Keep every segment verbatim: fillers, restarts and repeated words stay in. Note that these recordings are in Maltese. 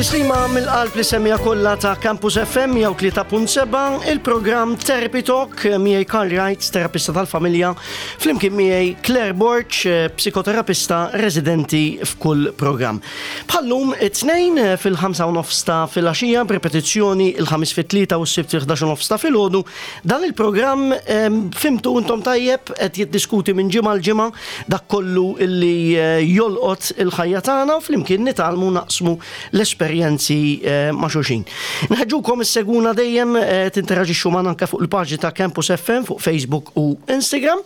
Tislima mill-qalb lis-semmiegħa kollha ta' Campus F M mija u tlieta punt sebgħa, il-programm Therapy Talk, miegħi Karl Wright, terapista tal-familja, flimkien miegħi Claire Borg, psikoterapista residenti f'kull programm. Bħal-lum it-Tnejn fil-ħamsa u nofs ta' filgħaxija, b'repetizzjoni il-Ħamis fit-tlieta u s-Sibt fil-ħdax u nofs ta' filgħodu. Dan il-programm, fhimtu intom tajjeb, qed jiddiskuti minn ġimgħa l-ġimgħa dak kollu illi eh, jolqot il-ħajja tagħna u flimkien nitgħallmu naqsmu l-esperjenzi eh, ma' xulxin. Nħeġġukom issegwuna dejjem, eh, tinteraġixxu magħna anke fuq il-paġni ta' Campus F M fuq Facebook u Instagram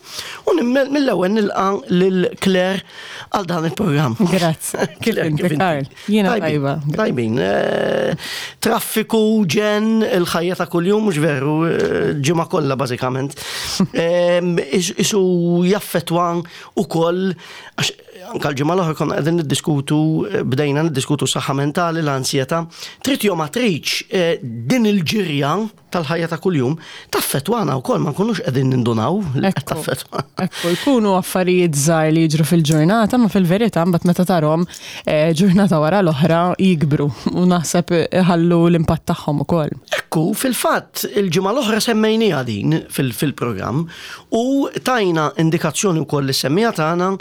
u mill-ewwel nilqa' lil Claire għal dan il-programm. Grazzi. Kif inti, Karl? Jiena tajba. Tajbin. Eh, traffiku, ġen, il-ħajja ta' kuljum, mhux veru, ġimgħa kollha bażikament. Isu jaffetwa ukoll għax anka l-ġimgħa l-oħra konna qegħdin niddiskutu, bdejna niddiskutu saħħa mentali, l-ansjetà. Trid jew ma tridx, eh, din il-ġirja tal-ħajja ta' kuljum taffetwana wkoll, ma nkunux qegħdin nindunaw li qed taffetwana. Ekku, jkunu affarijiet żgħar li jiġru fil-ġurnata, ma fil-verità mbagħad meta tarhom eh, ġurnata wara l-oħra jikbru u naħseb iħallu l-impatt tagħhom ukoll. Ekku, fil-fatt il-ġimgħa l-oħra semmejniha din fil-programm u tajna indikazzjoni wkoll lis-semmiegħa tagħna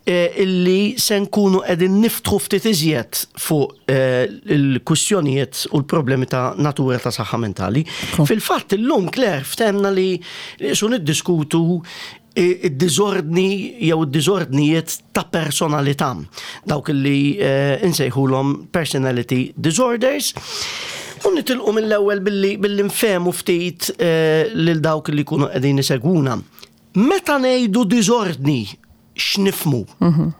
eh, illi se nkunu qegħdin niftħu ftit iżjed fuq eh, il-kwistjonijiet u l-problemi ta' natura ta' saħħa mentali. Fil-fatt illum, Claire, ftehemna li su niddiskutu id-diżordni jew id-diżordnijiet ta' personalità. Dawk li eh, insejħulhom personality disorders. U nitilqu mill-ewwel billi billi nfehmu ftit eh, lil dawk li jkunu qegħdin isegwuna. Meta ngħidu diżordni, x'nifhmu? Mhm.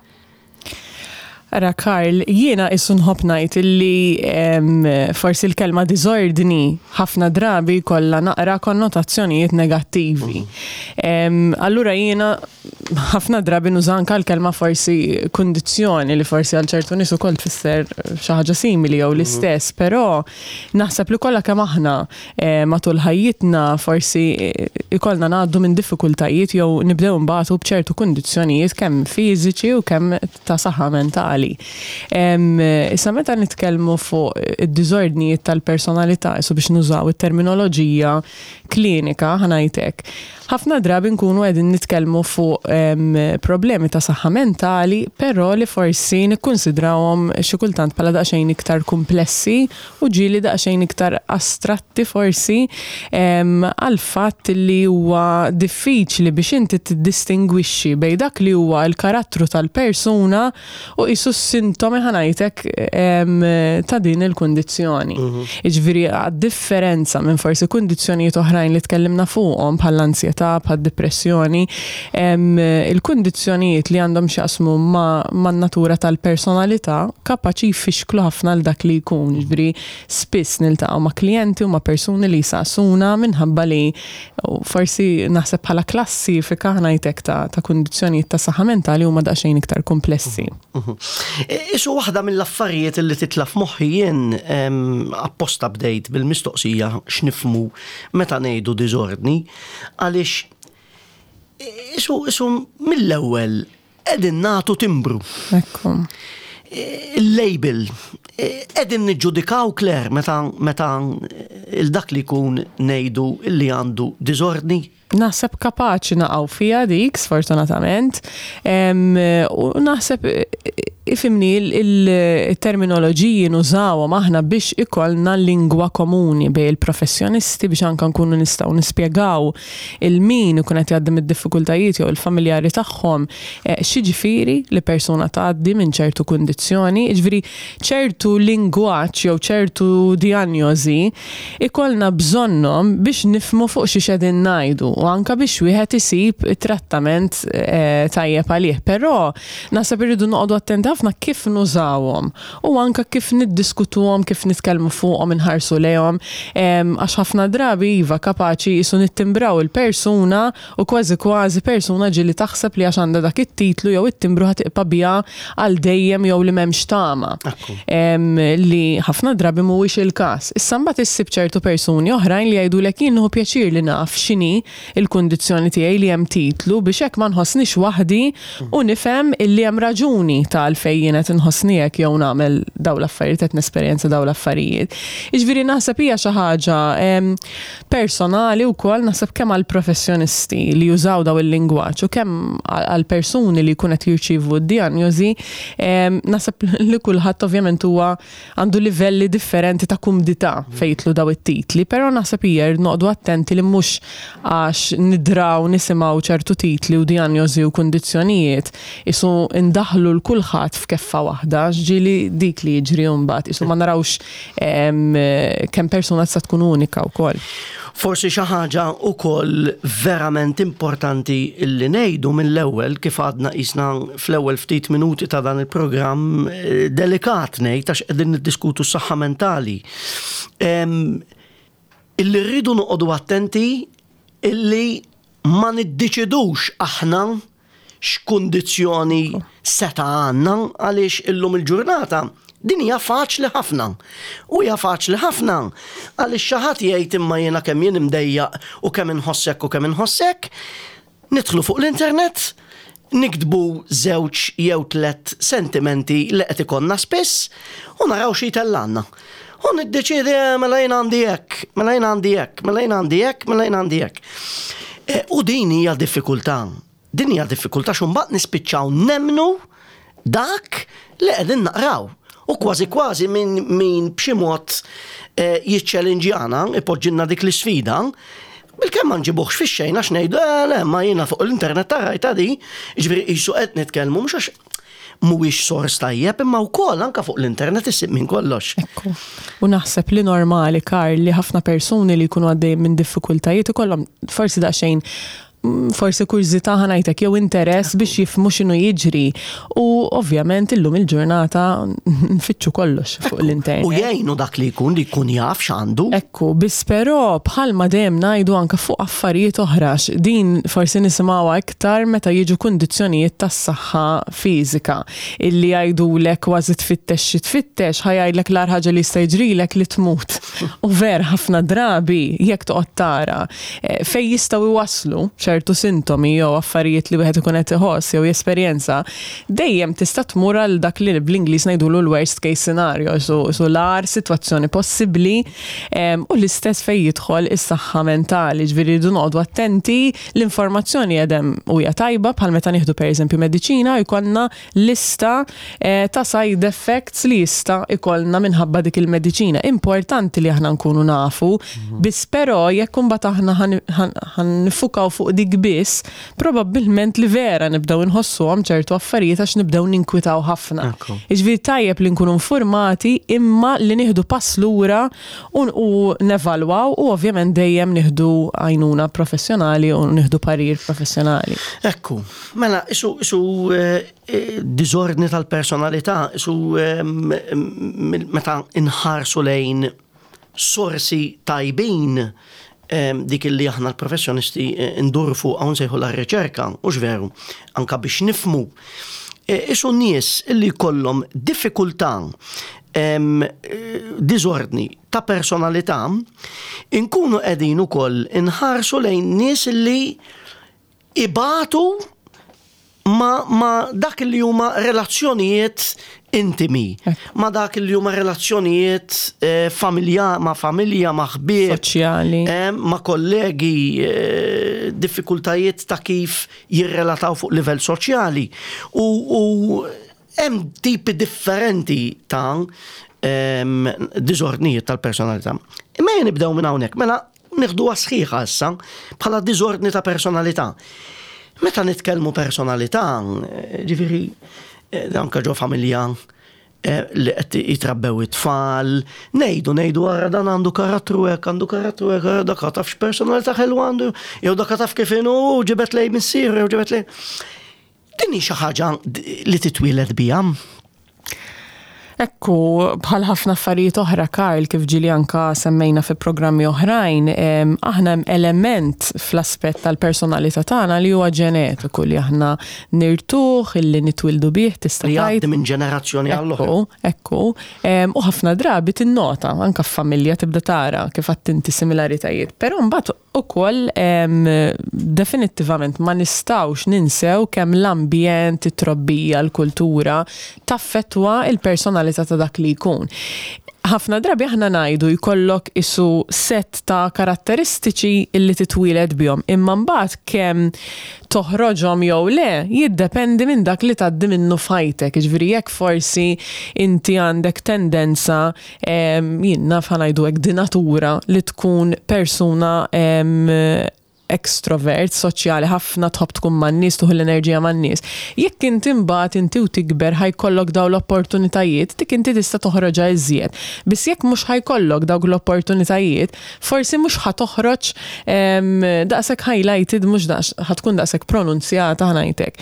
Ara Karl, jiena issu nħobb ngħid illi forsi l-kelma diżordni ħafna drabi kollha naqra konnotazzjonijiet negattivi. Allura jiena ħafna drabi nuża anka l-kelma forsi kundizzjoni, li forsi għal ċertu nies ukoll tfisser xi ħaġa simili jew l-istess, però naħseb li kollha kemm aħna eh, matul ħajjitna forsi eh, ikollna ngħaddu minn diffikultajiet jew nibdew nbatu b'ċertu kundizzjonijiet kemm fiżiċi u kemm ta' saħħa mentali. Issa meta nitkellmu fuq id-diżordnijiet tal-personalità, so biex nużaw it-terminoloġija klinika, ħa ngħidlek, ħafna drabi nkunu qegħdin nitkellmu fuq problemi ta' saħħa mentali, però li forsi nikkunsidrawhom xi kultant bħala daqsxejn iktar komplessi u ġieli daqsxejn iktar astratti, forsi għal fatt li huwa diffiċli biex inti tiddistingwixxi bejn dak li huwa l-karattru tal-persuna u qisu s-sintomi, ħa ngħidlek, ta' din il-kundizzjoni. Mhm. Jiġifieri differenza minn forsi kundizzjonijiet oħrajn li tkellimna fuqhom bħall-ansjetà, bħad-depressjoni, il-kundizzjonijiet li għandhom x'jaqsmu ma' natura tal-personalità kapaċi jfixklu ħafna l dak li jkun. Jiġifieri spiss niltaqgħu ma' klijenti u ma' persuni li jsaqsuna minħabba li forsi naħseb bħala klassifika, ħa ngħidlek, ta', ta' kundizzjonijiet ta' saħħa mentali huma daqsxejn iktar komplessi. Mhm. Isu waħda mill-affarijiet li titla' f'moħħi jien, apposta bdejt bil-mistoqsija x'nifhmu meta ngħidu diżordni, għaliex isu isu mill-ewwel qegħdin nagħtu timbru. Ekku. Il-label. Qegħdin niġġudikaw, Claire, meta meta il-dak li jkun ngħidu li għandu diżordni? Naħseb kapaċi naqgħu fija dik, sfortunatament. U naħseb, ifhimni, il-terminoloġiji nużawhom aħna biex ikollna lingwa komuni bejn il-professjonisti, biex anka nkunu nistgħu nispjegaw lil min ikun qed jgħaddi mid-diffikultajiet jew il-familjari tagħhom eh, x'jiġifieri li persuna tgħaddi minn ċertu kundizzjoni, jiġifieri ċertu lingwaġġ jew ċertu diagnosi ikollna bżonnhom biex nifhmu fuq xi qegħdin ngħidu u anka biex wieħed isib trattament eh, tajjeb għalih. Però naħseb irridu noqogħdu attenti ħafna kif nużawhom u anka kif niddiskutuhom, kif nitkellmu fuqhom, inħarsu lejhom, għax ħafna drabi iva, kapaċi qisu nittimbraw il-persuna u kważi kważi persuna ġieli taħseb li għax għandha dak it-titlu jew it-timbru ħa tibqa' biha għal dejjem jew li m'hemmx tama. Li ħafna drabi mhuwiex il-każ. Issa mbagħad issib ċertu persuni oħrajn li jgħidulek, "Jien nieħu pjaċir li naf x'inhi il-kundizzjoni tiegħi, li hemm titlu, biex hekk ma nħossnix waħdi u nifhem illi hemm raġuni ta' għalfejn għalfejn jien qed inħossni hekk jew nagħmel daw l-affarijiet, qed nesperjenza daw l-affarijiet. Jiġifieri naħseb hija xi ħaġa personali wkoll, naħseb kemm għall-professjonisti li jużaw daw il-lingwaġġ u kemm għall-persuni li jkun qed jirċievu d-dijanjosi, naħseb li kulħadd ovvjament huwa għandu livelli differenti ta' kumdità fejn jidħlu daw it-titli, però naħseb hija noqogħdu attenti li mhux għax nidraw nisimgħu ċertu titli u dijanjosi u kundizzjonijiet isu indaħlu 'l kulħadd f'keffa waħda, ġieli dik li jiġri mbagħad, isu ma narawx kemm persuna tista' tkun unika wkoll. Forsi xi ħaġa wkoll verament importanti li ngħidu mill-ewwel, kif għadna qisna fl-ewwel ftit minuti ta' dan il-programm, eh, delikat ngħid, għax qegħdin niddiskutu s-saħħa mentali. Illi rridu noqogħdu attenti illi ma niddeċidux aħna x'kundizzjoni seta' għandna, għaliex illum il-ġurnata din hija faċli ħafna. U hija faċli ħafna għaliex xi ħadd jgħid, "Imma jiena kemm jien imdejjaq u kemm inħossek u kemm inħossek", nidħlu fuq l-internet, niktbu żewġ jew tlet sentimenti li qed ikollna spiss u naraw xi jtellgħalna. U niddeċidi, eh, mela jien għandi hekk, mela jien għandi hekk, mela jien għandi hekk, mela jien għandi hekk. E, u din hija diffikultà. Din hija diffikultà x'imbagħad nispiċċaw nemmnu dak li qegħdin naqraw. U kważi kważi min, min b'xi mod eh, jiċċellinġjana, ipoġġilna dik l-isfida, bil-kemm ma nġibuħx fix-xejn għax ngħidu, eh, le, ma jiena fuq l-internet rajtha di, ġifieri qisu qed nitkellmu mhux għax mhuwiex sors tajjeb, imma wkoll anke fuq l-internet issib minn kollox. Ekku. U naħseb li normali, Karl, li ħafna persuni li jkunu għaddejjin minn diffikultajiet ikollhom forsi daqsxejn mm, forsi kurżità, ħa ngħidlek, jew interess biex jifhmu x'inhu jiġri. U ovvjament illum il-ġurnata nfittxu kollox fuq l-internet. U jgħinu dak li jkun li jkun jaf x'għandu. Ekku, biss però bħalma dejjem ngħidu anke fuq affarijiet oħra, din forsi nisimgħuha iktar meta jiġu kundizzjonijiet tas-saħħa fiżika illi jgħidulek kważi tfittex xi tfittex, ħa jgħidlek l-agħar ħaġa li jista' jiġrilek li tmut. U ver ħafna drabi jekk toqgħod tara eh, fej jistgħu iwasslu ċertu sintomi jew affarijiet li wieħed ikun qed iħoss jew jesperjenza, dejjem tista' tmur għal dak li bl-Ingliż ngħidulu l-worst case scenario, so, so l-agħar sitwazzjoni possibbli, em, u l-istess fej jidħol is-saħħa mentali, ġifieri rridu noqogħdu attenti, l-informazzjoni jedem u hija tajba, bħal meta nieħdu pereżempju mediċina jkollna lista eh, ta' side effects li jista' ikollna minħabba dik il-mediċina. Importanti li aħna nkunu nafu, biss però jekk imbagħad aħna ħa niffukaw fuq dik biss, probabbilment li vera nibdew inħossuhom ċertu affarijiet għax nibdew ninkwitaw ħafna. Ekku. Jiġifieri tajjeb li nkunu informati imma li nieħdu pass lura u, u nevalwaw u ovvjament dejjem nieħdu għajnuna professjonali u nieħdu parir professjonali. Ekku, mela, isu, isu eh, eh, diżordni tal-personalità, isu eh, m- m- meta inħarsu lejn sorsi tajbin, em, dik li aħna l-professjonisti eh, nduru fuq hawn sejħu la riċerka, u veru, anka biex nifhmu. Eh, Isu nies illi kollhom diffikultà, em, eh, diżordni ta' personalità, inkunu qegħdin ukoll inħarsu lejn nies illi ibatu ma, ma dak li huma relazzjonijiet intimi, ma dak li huma relazzjonijiet eh, familja, ma' familja, ma' ħbieb, Soċjali. eh, ma' kollegi, eh, diffikultajiet ta' kif jirrelataw fuq livell soċjali. U, u hemm tipi differenti ta' em, diżordnijiet tal-personalità. Imma jien nibdew minn hawnhekk, mela nieħduha sħiħa issa bħala diżordni ta' personalità. Meta nitkellmu personalità, eh, ġifieri, eh, anka ġo familja eh, li qed jitrabbew it-tfal, ngħidu ngħidu ara dan għandu karattru hekk, għandu karattru hekk, ara dak taf x'personalità ħelwa għandu, jew dak taf kif inhu, ġibet lej missier, jew ġibet lej. Din hi xi ħaġa li titwieled biha. Ekku, bħal ħafna affarijiet oħra, Karl, kif ġieli anka semmejna fi programmi oħrajn, em, aħna hemm element fl-aspett tal-personalità tagħna li huwa ġenetiku, li aħna nirtuh, illi nitwildu bih, tista' Li tgħid. jgħaddi minn ġenerazzjoni għall-oħra. Ekku, ekku. Em, U ħafna drabi tinnota, anka f'familja tibda tara kif inti similaritajiet. Però mbagħad ukoll definittivament ma nistgħux ninsew kemm l-ambjent, it-trobbija, l-kultura taffettwa il-personalità ta' dak li jkun. Ħafna drabi aħna ngħidu jkollok isu set ta' karatteristiċi illi titwieled bihom, imma mbagħad kemm toħroġhom jew le jiddependi minn dak li tgħaddi minnu f'ħajtek. Jiġifieri jekk forsi inti għandek tendenza, jien naf, ħa ngħidu hekk, di natura li tkun persuna extrovert, soċjali, ħafna, tħobb tkun man-nies, tieħu l-enerġija man-nies. Jekk inti mbagħad inti u tikber ħa jkollok daw l-opportunitajiet, dik inti tista' toħroġha iżjed. Biss jekk mhux ħa jkollok dawk l-opportunitajiet, forsi mhux ħa toħroġ daqshekk highlighted, mhux daqs ħa tkun daqshekk pronunzjata, ħa ngħidlek.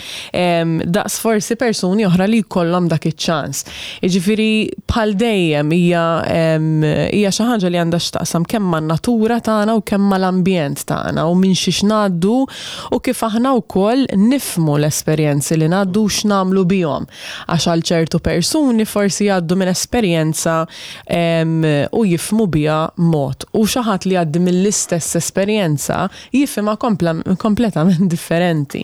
Daqs forsi persuni oħra li jkollhom dak iċ-ċans. Jiġifieri bħal dejjem hija hija xi ħaġa li għandha x'taqsam kemm man-natura tagħna u kemm mal-ambjent tagħna u minn xiex ngħaddu u kif aħna wkoll nifhmu l-esperjenzi li ngħaddu u x'nagħmlu bihom. Għax għal ċertu persuni forsi jgħaddu minn esperjenza u jifhmu biha mod. U xi ħadd li jgħaddi mill-istess esperjenza jifhimha kompletament differenti.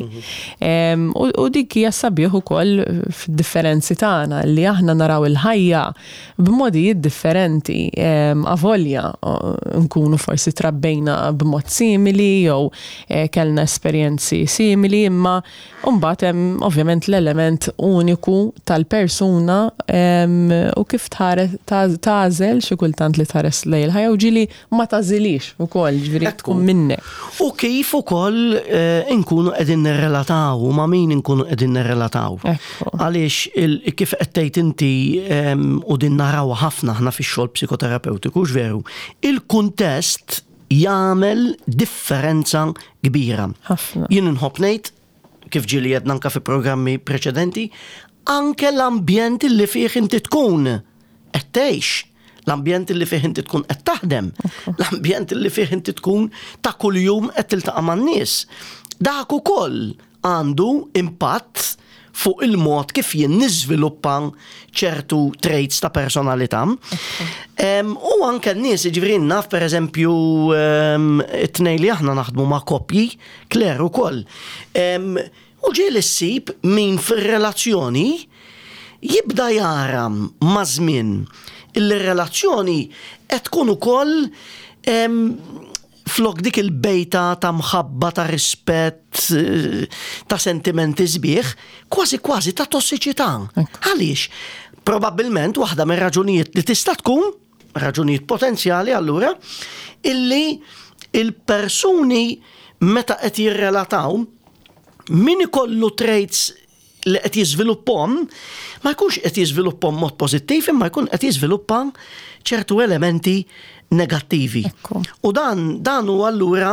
U dik hija sabiħ ukoll fid-differenzi tagħna li aħna naraw il-ħajja b'modijiet differenti. Avolja nkunu forsi trabbejna b'mod simili jew kellna esperjenzi simili, imma mbagħad hemm ovvjament l-element uniku tal-persuna u kif tagħżel xi kultant li tħares lejn il-ħajja u ġieli ma tagħżilix ukoll, ġifieri tkun minnek. U kif ukoll inkunu qegħdin nirrelataw u ma' min inkunu qegħdin nirrelataw. Għaliex kif qed tgħid inti, u din naraw ħafna aħna fix-xogħol psikoterapeutiku, veru, il-kuntest jagħmel differenza kbira. Jien inħobb ngħid, kif ġieli għedna anke fi programmi preċedenti, anke l-ambjent li fih inti tkun qed tgħix, l-ambjent li fih inti tkun qed taħdem, l-ambjent li fih inti tkun ta' kuljum qed tiltaqa' man-nies. Dak ukoll għandu impatt fuq il-mod kif jien niżviluppa ċertu traits ta' personalità. U anke n-nies, ġifieri naf per eżempju it-tnejn li aħna naħdmu ma' koppji, Claire ukoll. U ġieli ssib min fir-relazzjoni jibda jara ma' żmien il-relazzjoni qed tkun ukoll flok dik il-bejta ta' mħabba, ta' rispett, ta' sentimenti sbieħ, kważi kważi ta' tossiċità. Għaliex? Probabbilment waħda mir raġunijiet li tista' tkun, raġunijiet potenzjali allura, illi il-persuni meta qed jirrelataw, min ikollu traits li qed jiżviluppahom, ma jkunx qed jiżviluppahom mod pożittiv, imma jkun qed jiżviluppa ċertu elementi negattivi. U dan, dan u allura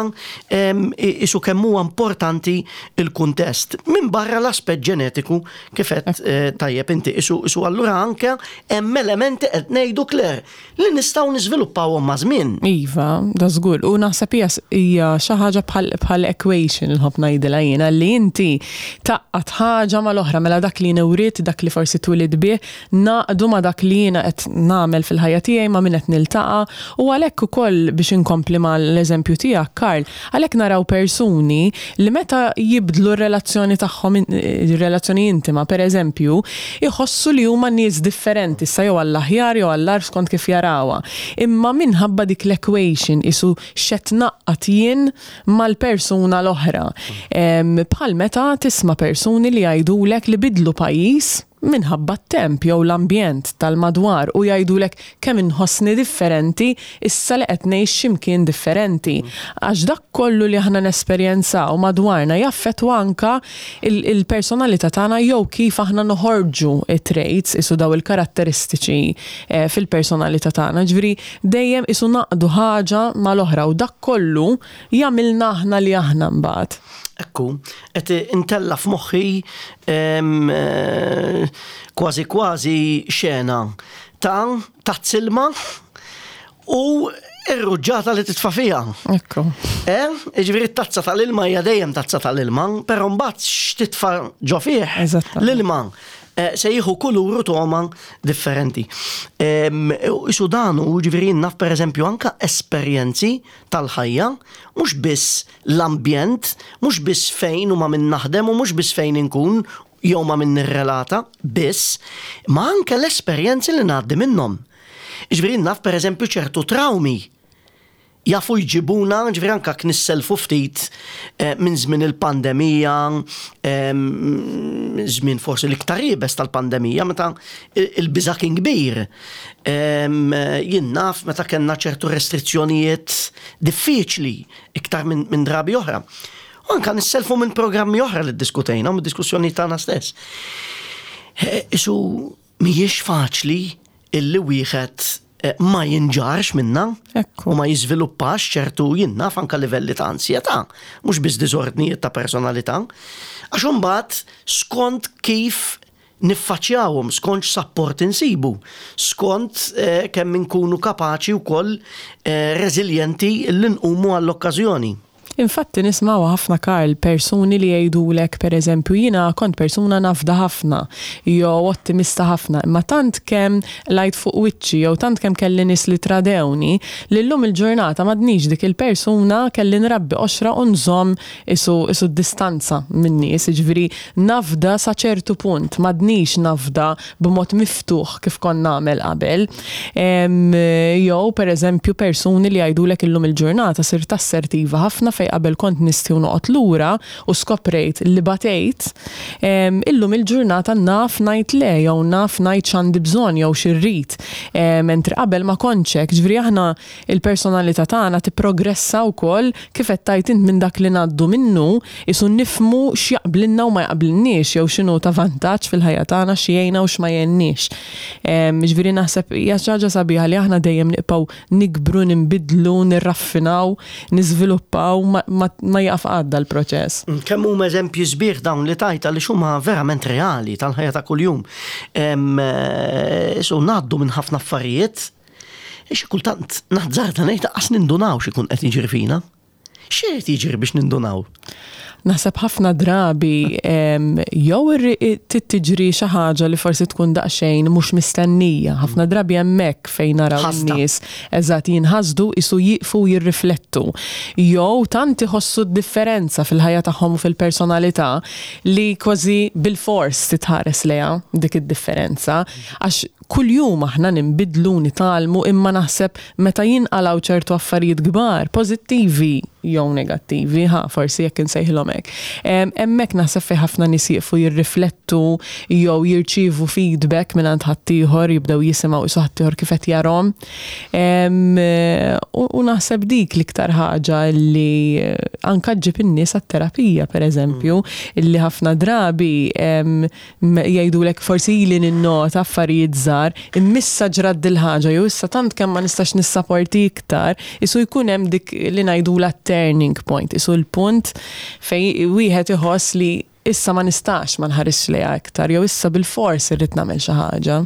isu kemm huwa importanti il-kuntest. Min barra l-aspett ġenetiku kif qed eh, tajjeb inti, isu, isu allura anke hemm elementi qed ngħidu, Claire, li nistgħu niżviluppawhom ma' żmien. Iva, da żgur. U naħseb hija hija xi ħaġa bħal equation, nħobb ngħidilha jiena, li inti tgħaqqad ħaġa mal-oħra, mela dak li newrit, dak li forsi twelidt bih, ngħaqqdu ma' dak li jiena qed nagħmel fil-ħajja tiegħi, ma' min qed niltaqa', u għalhekk ukoll biex inkompli mal-eżempju tiegħek, Karl, għalhekk naraw persuni li meta jibdlu r-relazzjoni tagħhom, ir-relazzjoni intima, per eżempju, iħossu li huma nies differenti, sa jew għall-aħjar jew għall-agħar skont kif jarawha. Imma minħabba dik l-equation isu x'qed ngħaqqad jien mal-persuna l-oħra. Bħal meta tisma' persuni li jgħidulek li bidlu pajjiż minħabba t-temp jew l-ambjent tal-madwar u jgħidulek kemm inħossni differenti issa li qed ngħix x'imkien differenti. Għax dak kollu li aħna nesperjenzaw madwarna jaffettwa anka il-personalità tagħna jew kif aħna noħorġu it-traits isu daw il-karatteristiċi eh, fil-personalità tagħna. Ġifieri dejjem isu ngħaqqdu ħaġa mal-oħra u dak kollu jagħmilna aħna li aħna mbagħad. Ekku, qed intella f'moħħi eh, kważi kważi xena ta' tazza ilma u ir-ruġġata li titfa' fiha. Ekku. Eh, ġifieri tazza tal-ilma hija dejjem tazza tal-ilma, però mbagħad x'titfa' ġo fih l-ilma. eh, se jieħu kulur u togħma differenti. Isu dan u ġifieri naf per eżempju anka esperjenzi tal-ħajja, mhux biss l-ambjent, mhux biss fejn u ma' min naħdem u mhux biss fejn inkun jew ma' min nirrelata, biss, ma anke l-esperjenzi li ngħaddi minnhom. Ġifieri naf per eżempju ċertu traumi jafu jġibuna, ġifieri anka nisselfu ftit eh, minn żmien il-pandemija, żmien forsi l-iktar iebes tal-pandemija, meta il-biża' kien kbir. Jien naf meta kellna ċertu restrizzjonijiet diffiċli iktar minn drabi oħra. U anka nisselfu minn programmi oħra li ddiskutejna, minn diskussjoni tagħna stess. Eh, isu mhijiex faċli illi wieħed eh, ma jinġarx minna u ma jiżviluppax ċertu, jien naf, anka livelli ta' ansjetà, mhux biss diżordnijiet ta' personalità. Għax imbagħad skont kif niffaċjawhom, skont support insibu, skont eh, kemm inkunu kapaċi wkoll eh, reżiljenti li nqumu għall-okkażjoni. Infatti nismaw ħafna, Karl, persuni li jgħidulek, per eżempju, "Jiena kont persuna nafda ħafna jew ottimista ħafna, imma tant kemm qlajt fuq wiċċi jew tant kemm kelli nies li tradewni li llum il-ġurnata m'għadnix dik il-persuna, kelli nrabbi qoxra u nżomm isu, isu distanza minn nies, ġifieri nafda sa ċertu punt, m'għadnix nafda b'mod miftuħ kif kont nagħmel qabel." Jew per eżempju persuni li jgħidulek, "Illum il-ġurnata sirt assertiva ħafna fej qabel kont nistħi u noqgħod lura u skoprejt li batejt, illum il-ġurnata naf ngħid le jew naf ngħid x'għandi bżonn jew x'irrid. Mentri qabel ma kontx hekk." Ġifieri aħna il-personalità tagħna tipprogressa wkoll, kif qed tgħid int, minn dak li ngħaddu minnu, isu nifhmu x'jaqblilna u ma jaqblilniex jew x'inhu ta' vantaġġ fil-ħajja tagħna, x'jgħinna u x'ma jgħinniex. Ġifieri naħseb hija xi ħaġa sabiħa li aħna dejjem nibqgħu nikbru, ninbidlu, nirraffinaw, niżviluppaw, ma, ma, ma jaqaf qatt l-proċess. Kemm huma eżempji sbieħ dawn li tajta li huma verament reali tal-ħajja ta' kuljum. Eh, so ngħaddu minn ħafna affarijiet, xi kultant naħżarda ngħid qas nindunaw x'ikun qed jiġri fina. X'irid jiġri biex nindunaw? Naħseb ħafna drabi jew tiġri xi ħaġa li forsi tkun daqsxejn mhux mistennija. Ħafna drabi hemmhekk fejn naraw nies eżatt jinħasdu, isu jiqfu jirriflettu. Jew tant iħossu d-differenza fil-ħajja tagħhom u fil-personalità li kważi bil-fors titħares lejha dik id-differenza. Għax kuljum aħna ninbidlu, nitgħallmu, imma naħseb meta jinqalgħu ċertu affarijiet kbar, pożittivi jew negattivi, ha, forsi jekk insejħilhom hekk. Hemmhekk naħseb fejn ħafna nies jieqfu jirriflettu jew jirċievu feedback minn għand ħaddieħor, jibdew jisimgħu isu ħaddieħor kif qed jarahom. U naħseb dik l-iktar ħaġa li anka ġġib in-nies għat-terapija, pereżempju, illi ħafna drabi jgħidulek, "Forsi ili ninnota affarijiet żgħar, imma issa ġrat dil-ħaġa jew issa tant kemm ma nistax nissaporti iktar," isu jkun hemm dik li ngħidula turning point, isu l-punt fej wieħed iħoss li issa ma nistax ma nħarisx lejha iktar, jew issa bil-fors irrid nagħmel xi ħaġa.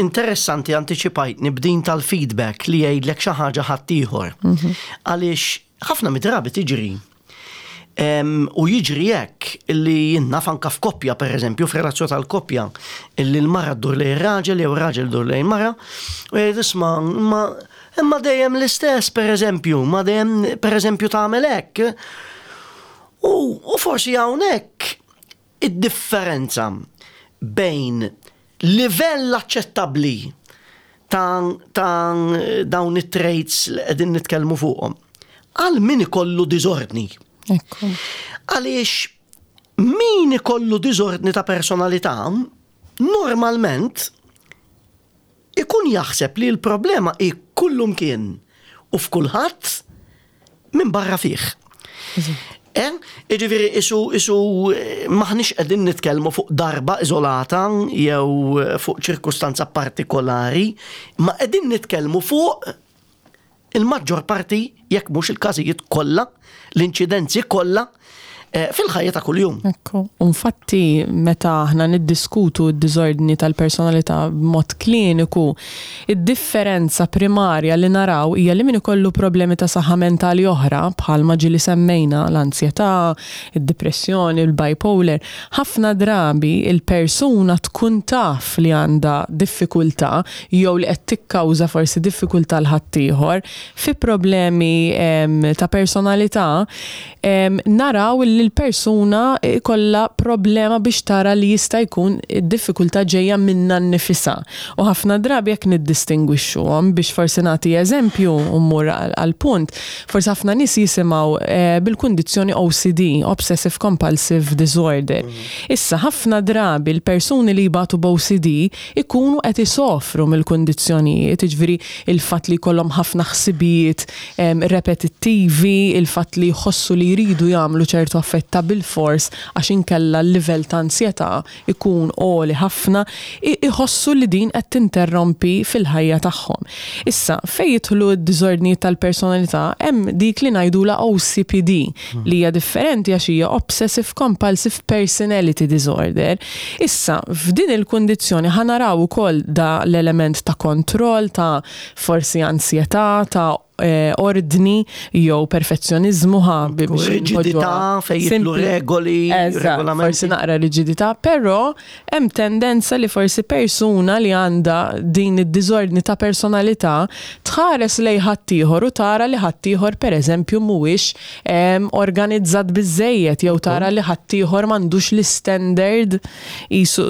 Interessanti, antiċipajtni b'din tal-feedback li jgħidlek xi ħaġa ħaddieħor. Għaliex ħafna mid-drabi tiġri. U jiġri hekk illi jien naf anka f'koppja, per eżempju, f'relazzjoni tal-koppja, illi l-mara ddur lejn raġel jew raġel dur lejn mara u jgħid, "Isma', ma imma dejjem l-istess, per eżempju, ma dejjem, per eżempju, tagħmel hekk." U, u forsi hawnhekk id-differenza bejn livell aċċettabbli ta', ta dawn it-traits li qegħdin nitkellmu fuqhom għal min ikollu diżordni. Ekku. Għaliex min ikollu diżordni ta' personalità normalment ikun jaħseb li l-problema hi kullumkien u f'kulħadd minn barra fih. Eh? Iġifieri, isu, isu m'aħniex qegħdin nitkellmu fuq darba iżolata jew fuq ċirkustanza partikolari, ma qegħdin nitkellmu fuq il-maġġor parti, jekk mhux il-każijiet kollha, l-inċidenzi kollha eh, fil-ħajja ta' kuljum. Ekku. Infatti, meta aħna niddiskutu d-diżordni tal-personalità b'mod kliniku, id-differenza primarja li naraw hija li min ikollu problemi ta' saħħa mentali oħra, bħalma ġieli semmejna l-ansjetà, id-depressjoni, il-bipolar, ħafna drabi il-persuna tkun taf li għandha diffikultà jew li qed tikkawża forsi diffikultà 'l ħaddieħor fi problemi em, ta' personalità em, naraw li l-persuna ikolla problema biex tara li jista' jkun id-diffikultà ġejja minna nnifisha. U ħafna drabi jekk niddistingwixxuhom biex forsi nagħti eżempju u mmur għal punt, forsi ħafna nies jisimgħu eh, bil-kundizzjoni O C D, Obsessive Compulsive Disorder. Issa, ħafna drabi l-persuni li jbatu b'O C D ikunu qed isofru mill-kundizzjonijiet, jiġifieri il-fatt li jkollhom ħafna ħsibijiet em, repetittivi, il-fatt li jħossu li jridu jagħmlu ċertu affarijiet bil-fors għax inkella l-livell ta' ansjetà ikun għoli ħafna, i- iħossu li din qed tinterrompi fil-ħajja tagħhom. Issa, fejn jidħlu d-diżordni tal-personalità, hemm dik li ngħidula O C P D, li hija differenti għax hija Obsessive Compulsive Personality Disorder. Issa, f'din il-kundizzjoni ħa naraw ukoll da l-element ta' kontroll, ta' forsi ansjetà, ta' eh, ordni jew perfezzjonizmu ħa bi- biex Riġidità, npoġġuha fejn jidħlu simpli. Regoli, Eżatt, regolamenti. forsi naqra riġidità, però hemm tendenza li forsi persuna li għandha din id-diżordni ta' personalità tħares lej ħaddieħor u tara li ħaddieħor, pereżempju, mhuwiex em, organizzat biżejjed jew tara li ħaddieħor m'għandux l-standard isu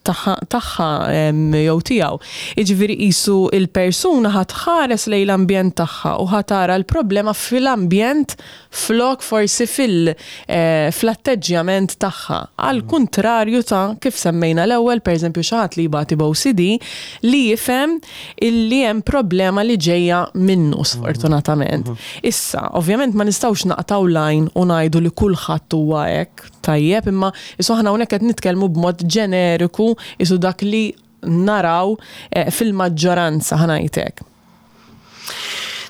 tagħha tagħha, em, jew tiegħu. Jiġifieri qisu il-persuna ħa tħares lejn l-ambjent tagħha u ħa tara l-problema fil-ambjent flok forsi fil eh, fl-atteġġjament tagħha. Għal kuntrarju ta' kif semmejna l-ewwel, pereżempju, xi ħadd li jbati b'O C D li jifhem illi hemm problema li ġejja minnu, sfortunatament. Issa, ovvjament ma nistgħux naqtgħu line u ngħidu li kulħadd huwa hekk, tajjeb, imma isu aħna hawnhekk qed nitkellmu b'mod ġeneriku, isu dak li naraw eh, fil-maġġoranza, ħa ngħidlek.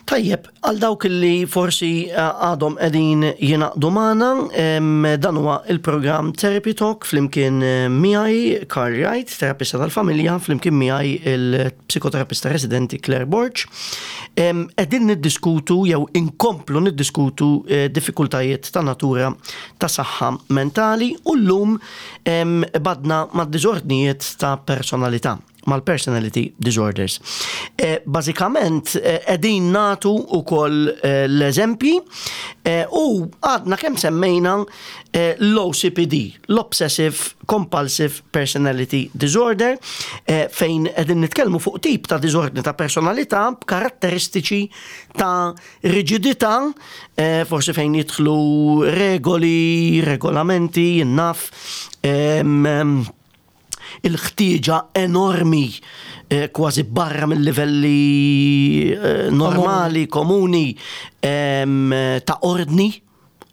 Tajjeb, għal dawk li forsi eh, għadhom qegħdin jingħaqdu magħna, em, dan huwa il-programm Therapy Talk flimkien eh, miegħi Carl Wright, terapista tal-familja, flimkien miegħi il-psikoterapista residenti Claire Borg. Em, Qegħdin niddiskutu jew inkomplu niddiskutu eh, diffikultajiet ta' natura ta' saħħa mentali u llum em, badna ma' diżordnijiet ta' personalità, mal-personality disorders. Eh, Bażikament, eh, qegħdin nagħtu ukoll eh, l-eżempji eh, u għadna kemm semmejna eh, l-O C P D, l-Obsessive Compulsive Personality Disorder, eh, fejn qegħdin nitkellmu fuq tip ta' diżordni ta' personalità b'karatteristiċi ta' riġidità, eh, forsi fejn jidħlu regoli, regolamenti, naf, em, em, il-ħtieġa enormi eh, kważi barra mill-livelli eh, normali, komuni em, ta' ordni,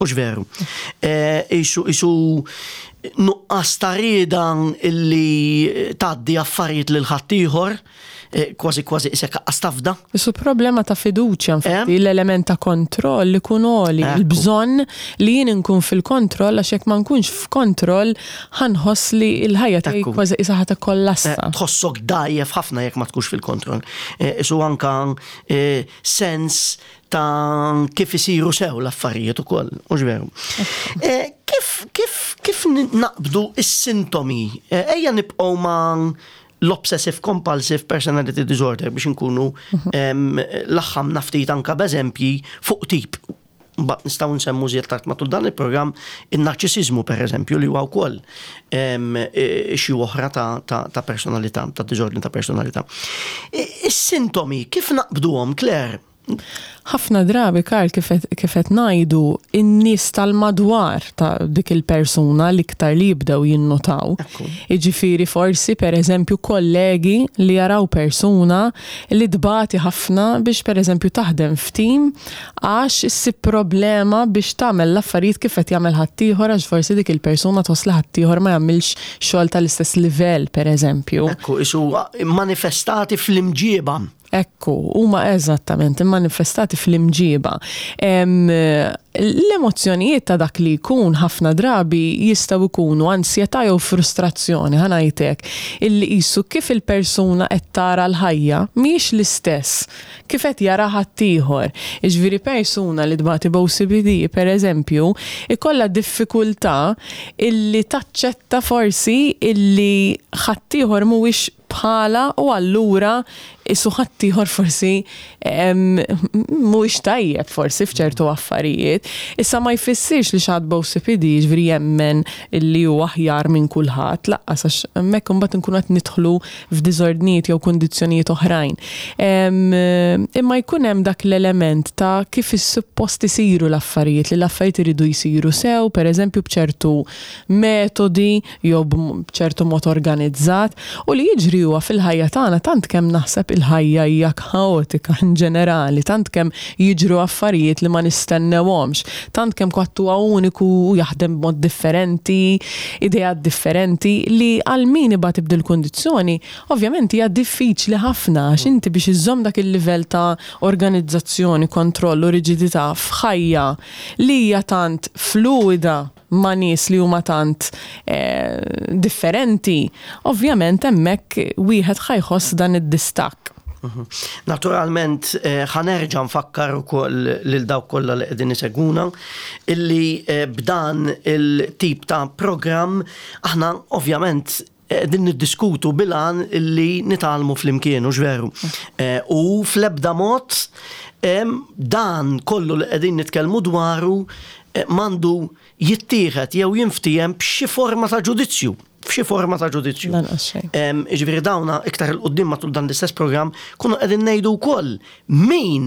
u veru. Eh, Isu, isu nuqqas ta' rieda illi tgħaddi affarijiet lil ħaddieħor, eh, kważi kważi isek astafda. Isu problema ta' fiduċja, infatti, Eh? l-element ta' kontroll li kun għoli, Ekku. il-bżonn li jien nkun fil-kontroll, għax jekk ma nkunx f'kontroll, ħa nħoss li l-ħajja tiegħi Ekku. kważi isa ħa tikkollassa. Eh, Tħossok dajjef ħafna jekk ma tkunx fil-kontroll. Eh, Isu anka eh, sens ta' kif isiru sew l-affarijiet ukoll, u veru. Eh, Kif, kif, kif naqbdu is-sintomi? Eh, Ejja nibqgħu ma' l-Obsessive Compulsive Personality Disorder biex nkunu em, laħħamna ftit anka b'eżempji fuq tip. Mbagħad nistgħu nsemmu żjed tard matul dan il-programm in-narċisizmu, per eżempju, li huwa wkoll em, eh, xi oħra ta', ta, ta' personalità, ta' diżordni ta' personalità. I- Is-sintomi kif naqbduhom, Claire? Ħafna drabi, Karl, kif qed ngħidu, in-nies tal-madwar ta' dik il-persuna l-iktar li jibdew jinnotaw. Ekku. Jiġifieri forsi, per eżempju, kollegi li jaraw persuna li tbati ħafna biex, per eżempju, taħdem f'tim għax issib problema biex tagħmel l-affarijiet kif qed jagħmel ħaddieħor, għax forsi dik il-persuna tħoss li ħaddieħor ma jagħmilx xogħol tal-istess livell, per eżempju. Ekku, isu manifestati fl-imġieba. Ekku, huma eżattament immanifestati fl-imġiba. L-emozzjonijiet ta' dak li jkun ħafna drabi jistgħu jkunu ansjetà jew frustrazzjoni, ħa ngħidlek, illi qisu kif il-persuna qed tara l-ħajja mhijiex l-istess kif qed jara ħaddieħor. Jiġifieri persuna li tbati b'O C P D, per eżempju, ikollha diffikultà illi taċċetta forsi illi ħaddieħor mhuwiex bħala u allura qisu ħaddieħor forsi mhuwiex tajjeb forsi f'ċertu affarijiet. Issa ma jfissirx li xi ħadd b'O C P D ġifieri jemmen illi hu aħjar minn kulħadd, lanqas, għax hemmhekk imbagħad nkunu qed nidħlu f'diżordnijiet jew kundizzjonijiet oħrajn. Imma jkun hemm dak l-element ta' kif is-suppost isiru l-affarijiet, li l-affarijiet iridu jsiru sew, per eżempju b'ċertu metodi jew b'ċertu mod organizzat, u li jiġri huwa fil-ħajja tagħna, tant kemm naħseb il-ħajja hija kaotika in ġenerali, tant kemm jiġru affarijiet li ma nistennewhomx, tant kemm kulħadd huwa uniku u jaħdem b'mod differenti, ideat differenti, li għal min ibati b'dil-kundizzjoni, ovvjament hija diffiċli ħafna għax inti biex iżżomm dak il-livell ta' organizzazzjoni, kontroll u riġidità f'ħajja li hija tant fluida ma' nies li huma tant eh, differenti, ovvjament hemmhekk wieħed ħa jħoss dan id-distakk. Mhm. Naturalment, eh, ħa nerġa' nfakkar ukoll lil dawk kollha li qegħdin isegwuna illi eh, b'dan il-tip ta' programm aħna ovvjament din niddiskutu bil-għan illi nitgħallmu flimkien, u veru. U fl-ebda mod dan kollu li qegħdin nitkellmu dwaru m'għandu jittieħed jew jinftiehem b'xi forma ta' ġudizzju, f'xi forma ta' ġudizzju. Ġifieri dawna iktar 'il quddiem matul dan l-istess programm kunu qegħdin ngħidu wkoll min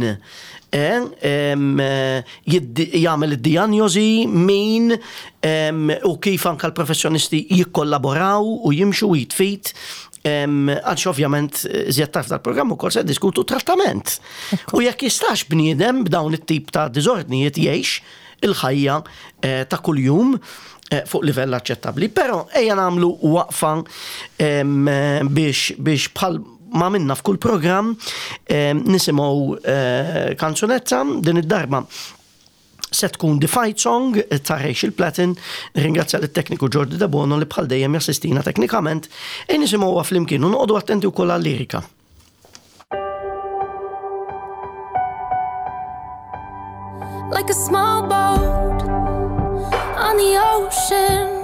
jagħmel id-dijanjosi, min u kif anka l-professjonisti jikkollaboraw u jimxu id f'id, għax ovvjament iżjed tard dal-programm ukoll se diskutu trattament. U jekk jistax bniedem b'dawn it-tip ta' diżordnijiet jgħix il-ħajja eh, ta' kuljum eh, fuq livell aċċettabbli. Però ejja nagħmlu waqfa biex biex bħal ma minna f'kull programm nisimgħu eh, kanzunetta. Din id-darba se tkun The Fight Song ta' Rachel Platten. Ringrazzja l-tekniku Jordi De Bono li bħal dejjem jassistina teknikament, e nisimgħuha flimkien u noqogħdu attenti wkoll għal-lirika. Like a small boat on the ocean,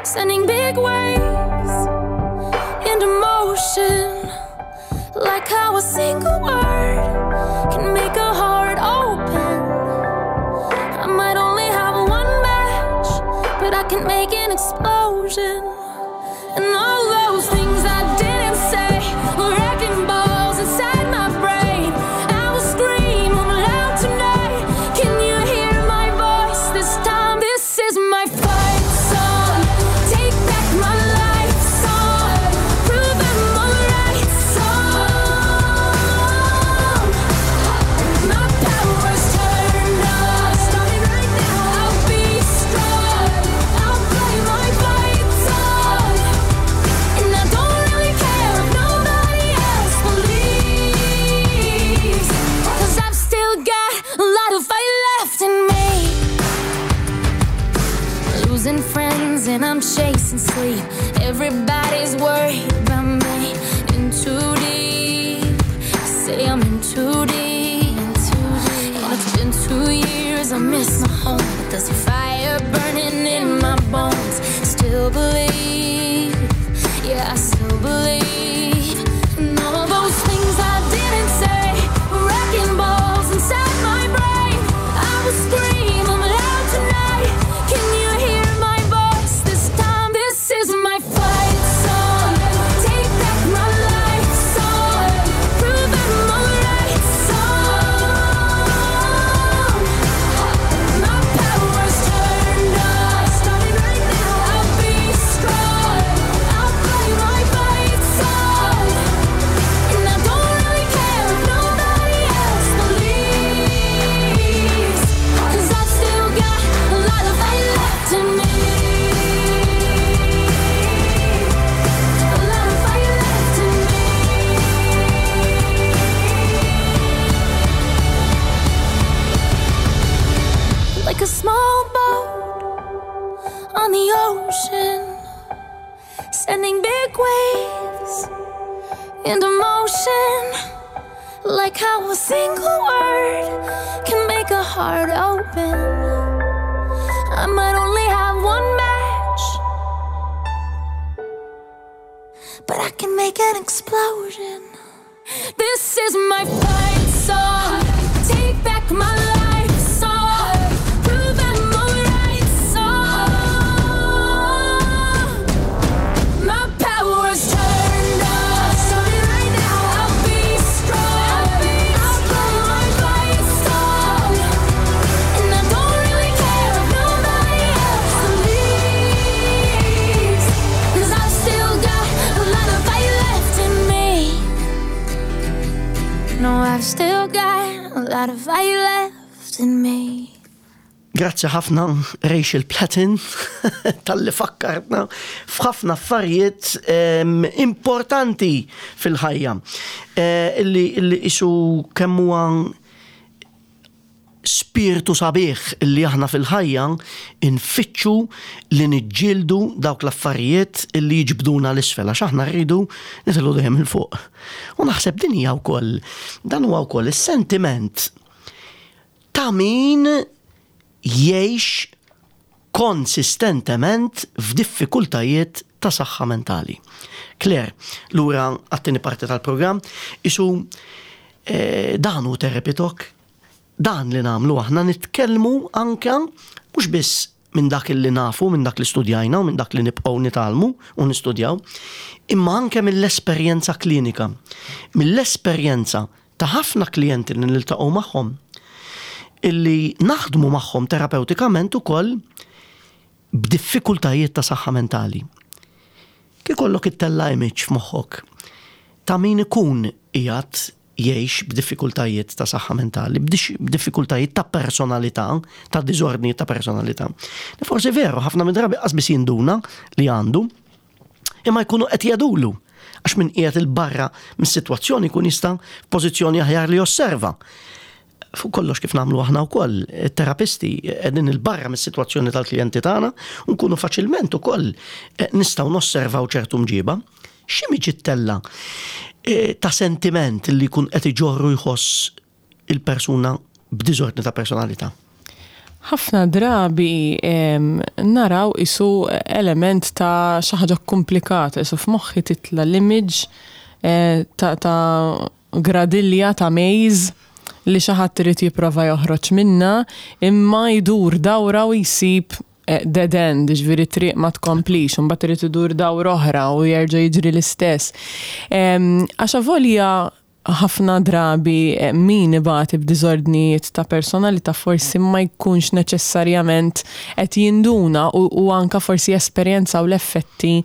sending big waves into motion. Like how a single word can make a heart open. I might only have one match, but I can make an explosion. And all those things I didn't say were wrecking balls inside my brain. I will scream them loud tonight. Can you hear my voice this time? This is my fight song. Take back my life song. Prove I'm alright song. My power's turned on. Starting right now. I'll be strong. I'll play my fight song. And I don't really care if nobody else believes, 'cause I've still got a lot of fight left in me. Losing friends and I'm chasing sleep. Everybody's worried about me. In too deep. Say I'm in too deep. And it's been two years, I miss my home. But there's a fire burning in my bones. Still believe, yeah, I still believe. And all those things I didn't say were wrecking balls inside my brain. I will scream them loud tonight. Can you hear my voice this time? This is my fight song. Take back my life song. Prove I'm alright song. My power's Like a small boat on the ocean, sending big waves into motion. Like how a single word can make a heart open. I might only have one match, but I can make an explosion. This is my fight song. Take back my life song. Prove I'm alright song. My power's turned on. Starting right now, I'll be strong. I'll put my fight song. And I don't really care if nobody else believes. 'Cause I've still got a lot of fight left in me. No, I've still got a lot of fight left in me. Grazzi ħafna, Rachel Platten, talli fakkartna f'ħafna affarijiet em, importanti fil-ħajja. Eh, illi illi isu kemm huwa spiritu sabiħ illi aħna fil-ħajja infittxu li niġġieldu dawk l-affarijiet illi jiġbduna 'l isfel, għax aħna rridu nitilgħu dejjem 'il fuq. U naħseb din hija wkoll, dan huwa wkoll is-sentiment ta' min jgħix konsistentement f'diffikultajiet ta' saħħa mentali. Claire, lura għat-tieni parti tal-programm, isu eh, dan hu Therapy Talk, dan li nagħmlu aħna, nitkellmu anka mhux biss minn dak li nafu, minn dak li studjajna u minn dak li nibqgħu nitgħallmu u nistudjaw, imma anke mill-esperjenza klinika, mill-esperjenza ta' ħafna klijenti li niltaqgħu magħhom, illi naħdmu magħhom terapeutikament ukoll b'diffikultajiet ta' saħħa mentali. Kif ikollok ittella' image f'moħħok ta' min ikun qiegħed jgħix b'diffikultajiet ta' saħħa mentali, b'diffikultajiet ta' personalità, ta' diżordni ta' personalità. Forsi veru, ħafna minn drabi qas biss jinduna li għandu, imma jkunu qed jgħidulu, għax min qiegħed 'il barra mis-sitwazzjoni jkun jista' f'pożizzjoni aħjar li josserva. Fuq kollox, kif nagħmlu aħna wkoll, terapisti qegħdin 'il barra mis-sitwazzjoni tal-klijenti tagħna u nkunu faċilment ukoll eh, nistgħu nosservaw ċertu mġiba. X'image ittella' eh, ta' sentiment li jkun qed iġorru jħoss il-persuna b'diżordni ta' personalità? Ħafna drabi em, naraw isu element ta' xi ħaġa komplikata, isu f'moħħi titla' l-image eh, ta', ta' gradilja ta' maze li xi ħadd irid jipprova joħroġ minna, imma jdur dawra u jsib eh, dead end, ġifieri triq ma tkomplix, un irid idur dawra oħra u jerġa' jiġri l-istess. Em, Għax avolja ħafna drabi eh, min ibati b'diżordnijiet ta' personalità forsi ma jkunx neċessarjament qed jinduna u, u anka forsi esperjenzaw l-effetti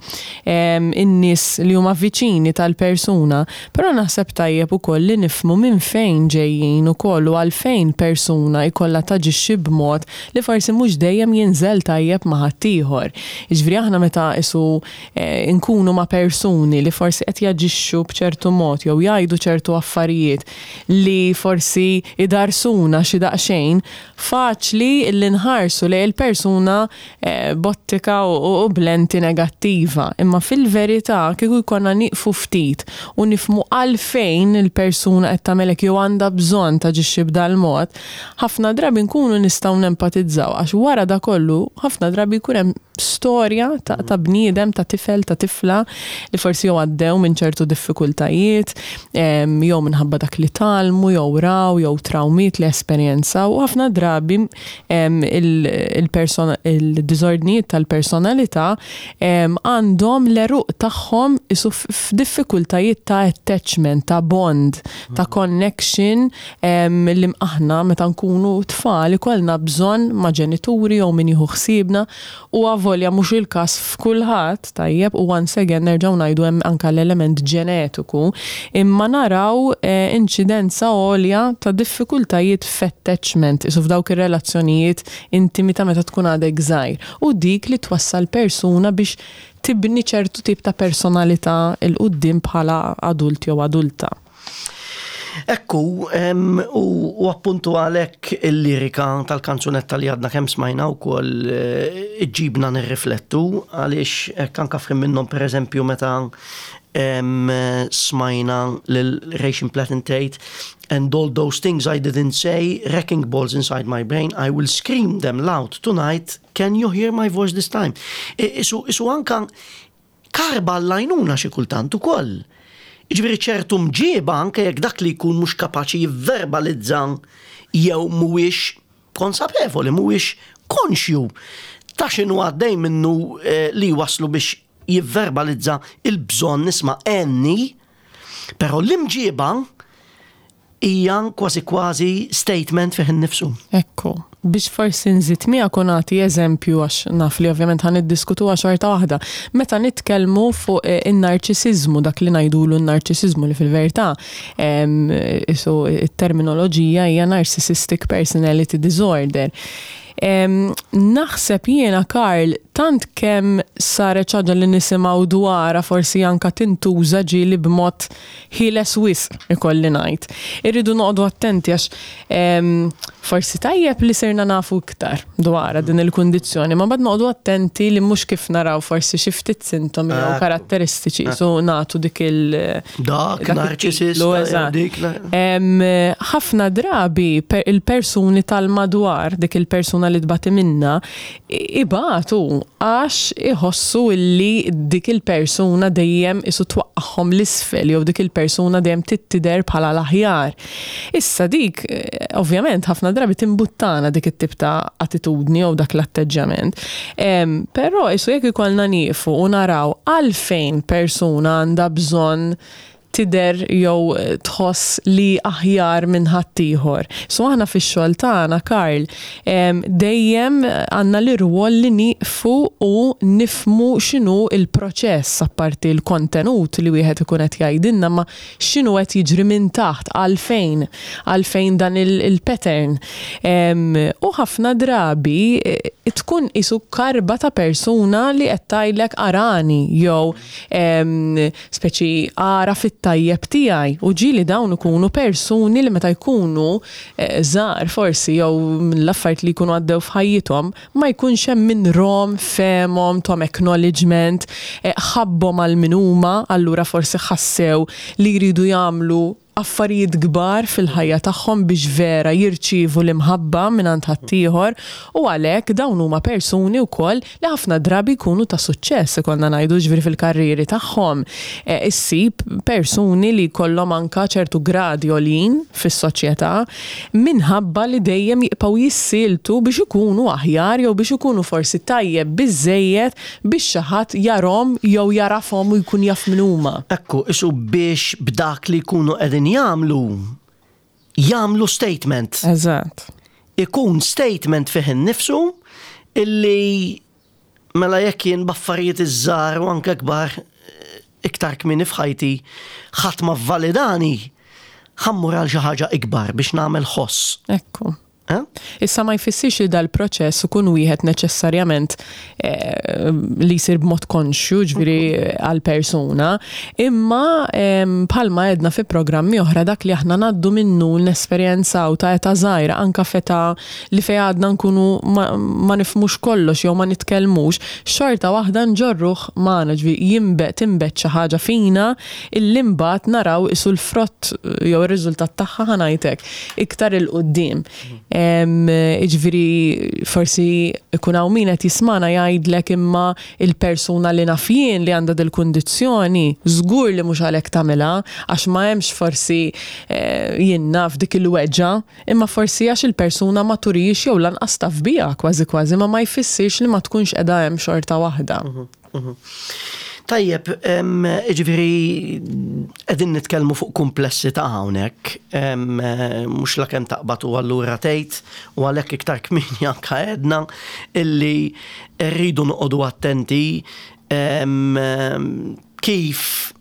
em, in-nies li huma viċini tal-persuna. Però naħseb tajjeb ukoll li nifhmu minn fejn ġejjin ukoll u għalfejn persuna jkollha taġixxi b'mod li forsi mhux dejjem jinżel tajjeb ma' ħaddieħor. Jiġifieri aħna meta isu eh, nkunu ma' persuni li forsi qed jaġixxu b'ċertu mod jew jgħidu ċertu affarijiet li forsi idarsuna xi daqsxejn, faċli li nħarsu lejn il-persuna eh, b'ottika u, u b'lenti negattiva. Imma fil-verità, kieku jkollna nieqfu ftit u nifhmu għalfejn il-persuna qed tagħmel hekk jew għandha bżonn taġixxi b'dal-mod, ħafna drabi nkunu nistgħu nempatizzaw, għax wara da kollu ħafna drabi jkun hemm storja ta', ta' bniedem, ta' tifel, ta' tifla li forsi jew għaddew minn ċertu diffikultajiet, em, jew minħabba dak li tgħallmu, jew raw, jew trawmiet li esperjenzaw, u ħafna drabi em, il- il-persona- il-diżordnijiet tal-personalità em, għandhom l-għeruq tagħhom isu f- f'diffikultajiet ta' attachment, ta' bond, ta' connection em, li aħna meta nkunu tfal ikollna bżonn ma' ġenituri jew min jieħu ħsiebna, u avolja mhux il-każ f'kulħadd, tajjeb, u once again nerġgħu ngħidu hemm anka l-element ġenetiku, imma naraw eh, inċidenza għolja ta' diffikultajiet f'attachment, isu f'dawk ir-relazzjonijiet intimi ta' meta tkun għadek żgħir, u dik li twassal persuna biex tibni ċertu tip ta' personalità 'il quddiem bħala adult jew adulta. Ekku, em, u, u appuntu għalhekk il-lirika tal-kanzunetta li għadna kemm smajna u koll iġġibna nirriflettu, għaliex hekk anka f'ħin minnhom, per eżempju, meta em, smajna lil Rachel Platten, "And all those things I didn't say, wrecking balls inside my brain, I will scream them loud tonight, can you hear my voice this time?" I- Isu, isu anka karba l-għajnuna xi kultant ukoll. Jiġifieri ċertu mġieba, anke jekk dak li jkun mhux kapaċi jivverbalizza jew mhuwiex konsapevoli, mhuwiex konxju ta' x'inhu għaddej minnu eh, li waslu biex jivverbalizza il-bżonn nisma' enni, però l-imġieba hija kważi kważi statement fih innifsu. Ekku, biex forsi nżid miegħek u nagħti eżempju, għax naf li ovvjament ħa niddiskutu xorta waħda. Meta nitkellmu fuq eh, in-narċisiżmu, dak li ngħidulu n-narċisiżmu, li fil-verità em, isu it-terminoloġija hija narcissistic personality disorder. Em, naħseb jiena, Karl, tant kemm saret ħaġa li nisimgħu dwarha, forsi anka tintuża ġieli b'mod ħieles wisq, ikolli ngħid. Irridu noqogħdu attenti għax em, forsi tajjeb li sirna nafu iktar dwarha din il-kundizzjoni, ma bad noqogħdu attenti li mhux kif naraw forsi xi ftit sintomi jew Ekku. karatteristiċi so nagħtu dik il- Dak dak narċisista, it-titlu, eżatt. dik la- Em, ħafna drabi per il-persuni tal-madwar dik il-persuna li tbati minna i- ibatu għax iħossu illi dik il-persuna dejjem isu twaqqahom l-isfel jew dik il-persuna dejjem tidher bħala l-aħjar. Issa dik, eh, ovvjament, ħafna drabi timbuttana dik it-tip ta' attitudni jew dak l-atteġġjament. Em, Però isu jekk ikollna nieqfu u naraw għalfejn persuna għandha bżonn tidher jew tħoss li aħjar minn ħaddieħor. So aħna fix-xogħol tagħna, Karl, em, dejjem għandna l-irwol li nieqfu u nifmu x'inhu il-proċess, apparti l-kontenut li wieħed ikun qed jgħidilna, ma x'inhu qed jiġri minn taħt, għalfejn, għalfejn dan il- il-pattern. Em, U ħafna drabi eh, tkun isu karba ta' persuna li qed tgħidlek arani jew em, speċi ara fit-tajjeb tiegħi, u ġieli dawn ikunu persuni li meta jkunu eh, żgħar forsi jew l-affarijiet li jkunu għaddew f'ħajjithom ma jkunx hemm min rom fehemhom, tahom acknowledgement, eh, ħabbhom għal min huma, allura forsi ħassew li jridu jagħmlu affarijiet kbar fil-ħajja tagħhom biex vera jirċievu l-imħabba minn ħaddieħor, u għalhekk dawn huma persuni wkoll li ħafna drabi jkunu ta' suċċess, ikollna ngħidu, ġifieri fil-karrieri tagħhom. E, issib persuni li jkollhom anka ċertu gradi għoljin fis-soċjetà minħabba li dejjem jibqgħu jissieltu biex ikunu aħjar jew biex ikunu forsi tajjeb biżejjed biex xi ħadd jarahom jew jagħrafhom u jkun jaf min huma. Ekku, isu biex b'dak li jkunu qegħdin jagħmlu jagħmlu statement. Eżatt. Ikun statement fih innifsu illi mela jekk jien b'affarijiet iż-żgħar u anke kbar eh, iktar kmieni f'ħajti ħadd ma validani, ħa mmur għal xi ħaġa ikbar biex nagħmel ħoss. Ekku. Eh? Issa ma jfissirx li dal-proċess ikun wieħed neċessarjament eh, li jsir b'mod konxju, ġifieri għal-persuna, imma em, bħalma għedna fi programmi oħra, dak li aħna ngħaddu minnu, l-esperjenza u ta' età żgħira, anka f'età li fej għadna nkunu ma, ma nifhmux kollox jew ma nitkellmux, xorta waħda nġorruh magħna, ġifieri jinbet tinbet xi ħaġa fina illi mbagħad naraw isu l-frott jew ir-riżultat tagħha, ħa ngħidlek, iktar 'il quddiem. Em, Ġifieri forsi ikun hawn min qed jismana jgħidlek imma il-persuna li naf jien li għandha dil-kundizzjoni żgur li mhux għalhekk tagħmilha, għax ma hemmx forsi eh, jien naf dik il-weġġa, imma forsi għax il-persuna ma turix jew lanqas taf biha kważi kważi, ma ma jfissirx li ma tkunx qiegħda hemm xorta waħda. Tajjeb, em, ġifieri qegħdin nitkellmu fuq komplessità hawnhekk, em, eh, mhux la kemm taqbad u allura tgħid, u għalhekk iktar kmieni anke għedna illi rridu noqogħdu attenti em, em, kif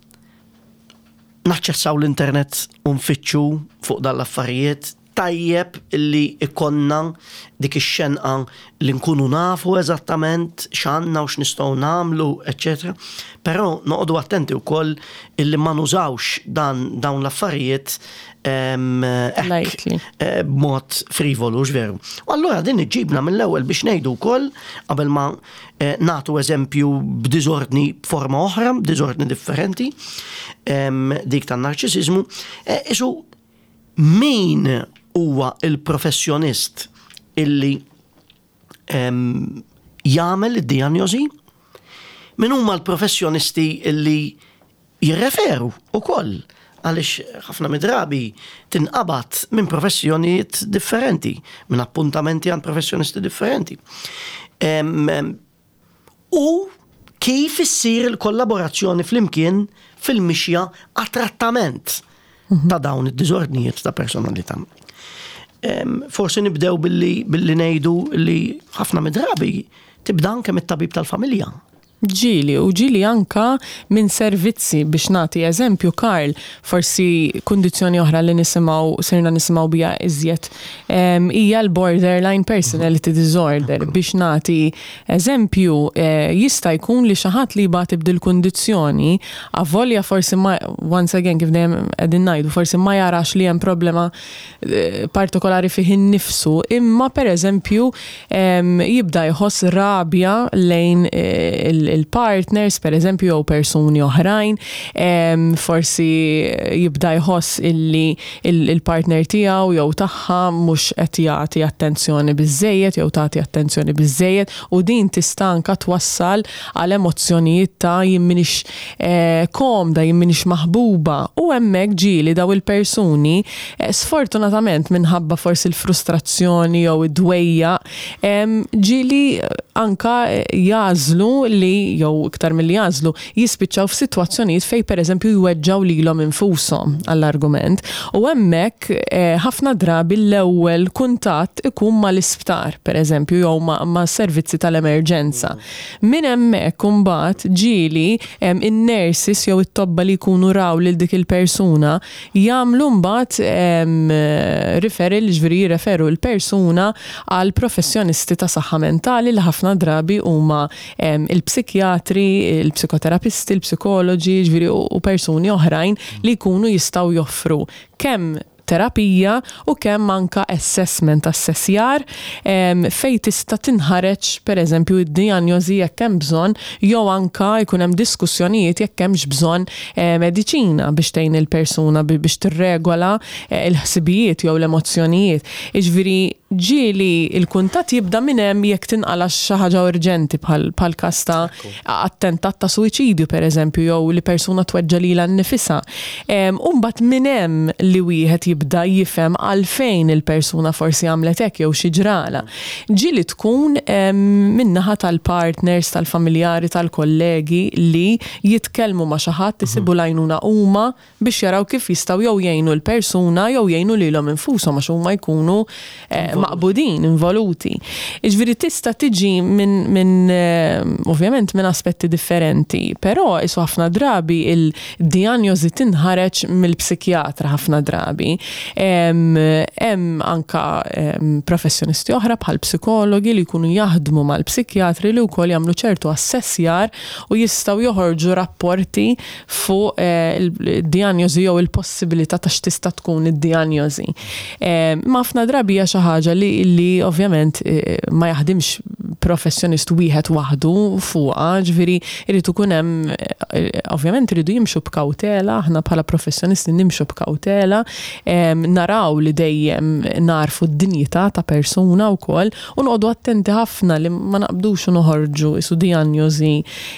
naċċessaw l-internet u nfittxu fuq dal-affarijiet. Tajjeb li ikollna dik ix-xenqa li nkunu nafu eżattament x'għandna u x'nistgħu nagħmlu, eċċetera. Però noqogħdu attenti wkoll illi ma nużawx dan dawn l-affarijiet eh, b'mod frivolu, veru. U allura din iġibna mill-ewwel biex ngħidu wkoll, qabel ma eh, nagħtu eżempju b'diżordni b'forma oħra, b'diżordni differenti, dik tan-narċisizmu, eh, isu min huwa il-professjonist illi jagħmel id-dijanjosi, min huma l-professjonisti illi jirreferu ukoll, għaliex ħafna midrabi tinqabad minn professjonijiet differenti, minn appuntamenti għand professjonisti differenti. U kif issir il-kollaborazzjoni flimkien fil-mixja għat-trattament ta' dawn id-diżordnijiet ta' personalità. Forsi nibdew billi, billi ngħidu li ħafna midrabi tibda anke mit-tabib tal-familja. Ġieli, u ġieli anka minn servizzi. Biex nagħti eżempju, Karl, forsi kundizzjoni oħra li nisimgħu, sirna nisimgħu biha iżjed, hija l-borderline personality disorder. Biex nagħti eżempju, eh, jista' jkun li xi ħadd li jbati b'dil kundizzjoni, avolja forsi ma, once again, kif dejjem qegħdin ngħidu, forsi ma jarax li hemm problema eh, partikolari fih innifsu, imma per eżempju jibda jħoss rabja lejn eh, il-partners, per eżempju, jew persuni oħrajn, forsi jibda jħoss illi il-partner tiegħu jew tagħha mhux qed jagħti attenzjoni biżejjed jew tagħti attenzjoni biżejjed, u din tista' anka twassal għal emozzjonijiet ta' jien m'iniex eh, komda, jien m'iniex maħbuba, u hemmhekk ġieli daw il-persuni eh, sfortunatament minħabba forsi l-frustrazzjoni jew id-dwejja, ġieli anka jagħżlu li, jew iktar milli jagħżlu, jispiċċaw f'sitwazzjonijiet fej pereżempju jweġġaw lilhom infushom, għall-argument. U hemmhekk eh, ħafna drabi l-ewwel kuntatt ikun mal-isptar, pereżempju, jew ma', ma servizzi tal-emerġenza. Minn hemmhekk imbagħad ġieli in-nurses jew it-tobba li jkunu raw lil dik il-persuna jagħmlu mbagħad referral, ġifieri jirreferu l-persuna għal professjonisti ta' saħħa mentali li ħafna drabi huma il-psikjatri, il-psikoterapisti, il-psikoloġi, ġifieri u persuni oħrajn li jkunu jistgħu joffru kemm terapija u kemm anka assessment, assessjar fej tista' tinħareġ per eżempju id-dijanjosi jekk hemm bżonn, jew anka jkun hemm diskussjonijiet jekk hemmx bżonn eh, mediċina biex tgħin il-persuna biex tirregola eh, il-ħsibijiet jew l-emozzjonijiet. Jiġifieri ġieli il-kuntatt jibda minn hemm jekk tinqala xi ħaġa urġenti bħal każ ta' attentat ta' suwiċidju, per eżempju, jew li persuna tweġġa lilha nnifisha. U mbagħad minn hemm li wieħed jibda jifhem għalfejn il-persuna forsi għamlet hekk jew xi ġrala. Ġieli tkun min-naħa tal-partners, tal-familjari, tal-kollegi li jitkellmu ma' xi ħadd, isibu l-għajnuna huma biex jaraw kif jistgħu jew jgħinu l-persuna jew jgħinu lilhom infushom, għax huma jkunu eh, maqbudin, involuti. Jiġifieri tista' tiġi minn min, eh, ovvjament minn aspetti differenti, però isu ħafna drabi il-dijanjosi tinħareġ mill-psikjatra ħafna drabi. Hemm anka professjonisti oħra bħal psikologi li jkunu jaħdmu mal-psikjatri li wkoll jagħmlu ċertu assessjar u jistgħu joħorġu rapporti fuq eh, il-dijanjosi jew il-possibilità ta' x'tista' tkun id-dijanjosi. Ma ħafna drabi hija xi ħaġa li, li ovvjament eh, ma jaħdimx professjonist wieħed waħdu fuqha, ġifieri irid ikun hemm eh, ovvjament iridu jimxu b'kawtela, aħna bħala professjonisti nimxu b'kawtela, naraw li dejjem narfu d-dinjità ta' persuna wkoll u noqogħdu attenti ħafna li ma naqbdux u noħorġu isu dijanjosi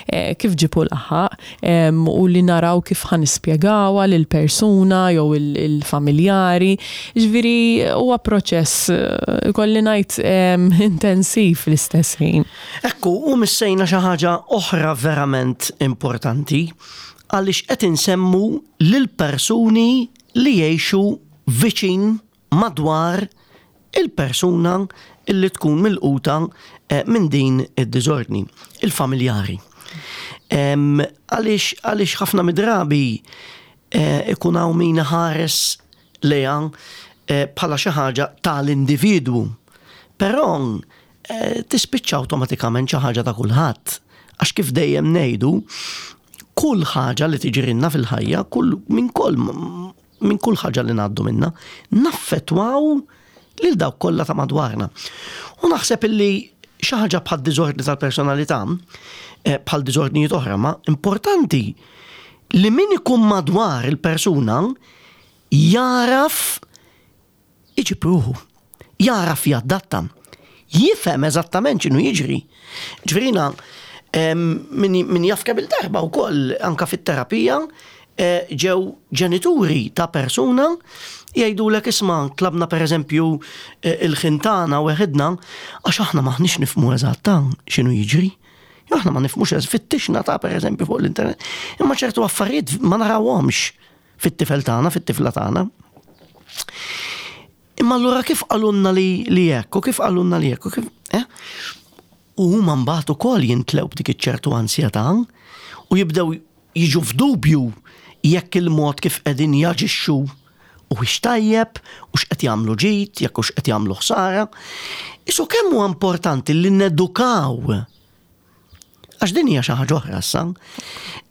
eh, kif ġipu laħaq u li naraw kif ħa nispjegawha lil persuna jew il-familjari. Ġifieri huwa proċess, eh, kolli ngħid, intensiv fl-istess ħin. Ekku, u missejna xi ħaġa oħra verament importanti, għaliex qed insemmu lil persuni li jgħixu viċin, madwar il-persuna illi tkun milquta eh, minn din id-diżordni, il-familjari. Għaliex għaliex ħafna midrabi eh, ikun hawn min ħares lejha bħala xi ħaġa tal-individwu. Però eh, tispiċċa awtomatikament xi ħaġa ta' kulħadd. Għax kif dejjem ngħidu, kull ħaġa li tiġrilna fil-ħajja, kull minn kull minn kull ħaġa li ngħaddu minna, naffettwaw lil dawk kollha ta' madwarna. U naħseb illi xi ħaġa bħal diżordni tal-personalità, eh, bħal diżordnijiet oħra, ma importanti li min ikun madwar il-persuna jaraf iġib ruħu, jaraf jaddatta, jifhem eżattament x'inhu jiġri. Ġifieri jiena, min, min jaf kemm il-darba wkoll anka fit-terapija eh, ġew ġenituri ta' persuna jgħidulek, "Isma', tlabna per eżempju eh, il-ħin tagħna weħidna għax aħna m'aħniex nifhmu eżatt x'inhu jiġri. Jew aħna ma nifhmux, fittixna ta' per eżempju fuq l-internet. Imma ċertu affarijiet ma narawhomx fit-tifel tagħna, fit-tifla tagħna." Imma allura kif qalulna li li hekk u kif qalulna li hekk u kif, eh? U huma mbagħad ukoll jintlew b'dik iċ-ċertu ansjetà u jibdew jiġu f'dubju jekk il-mod kif qegħdin jaġixxu huwiex tajjeb, u x'qed jagħmlu ġid, jekk hux qed jagħmlu ħsara. Isu kemm huwa importanti li nedukaw, għax din hija xi ħaġa oħra issa,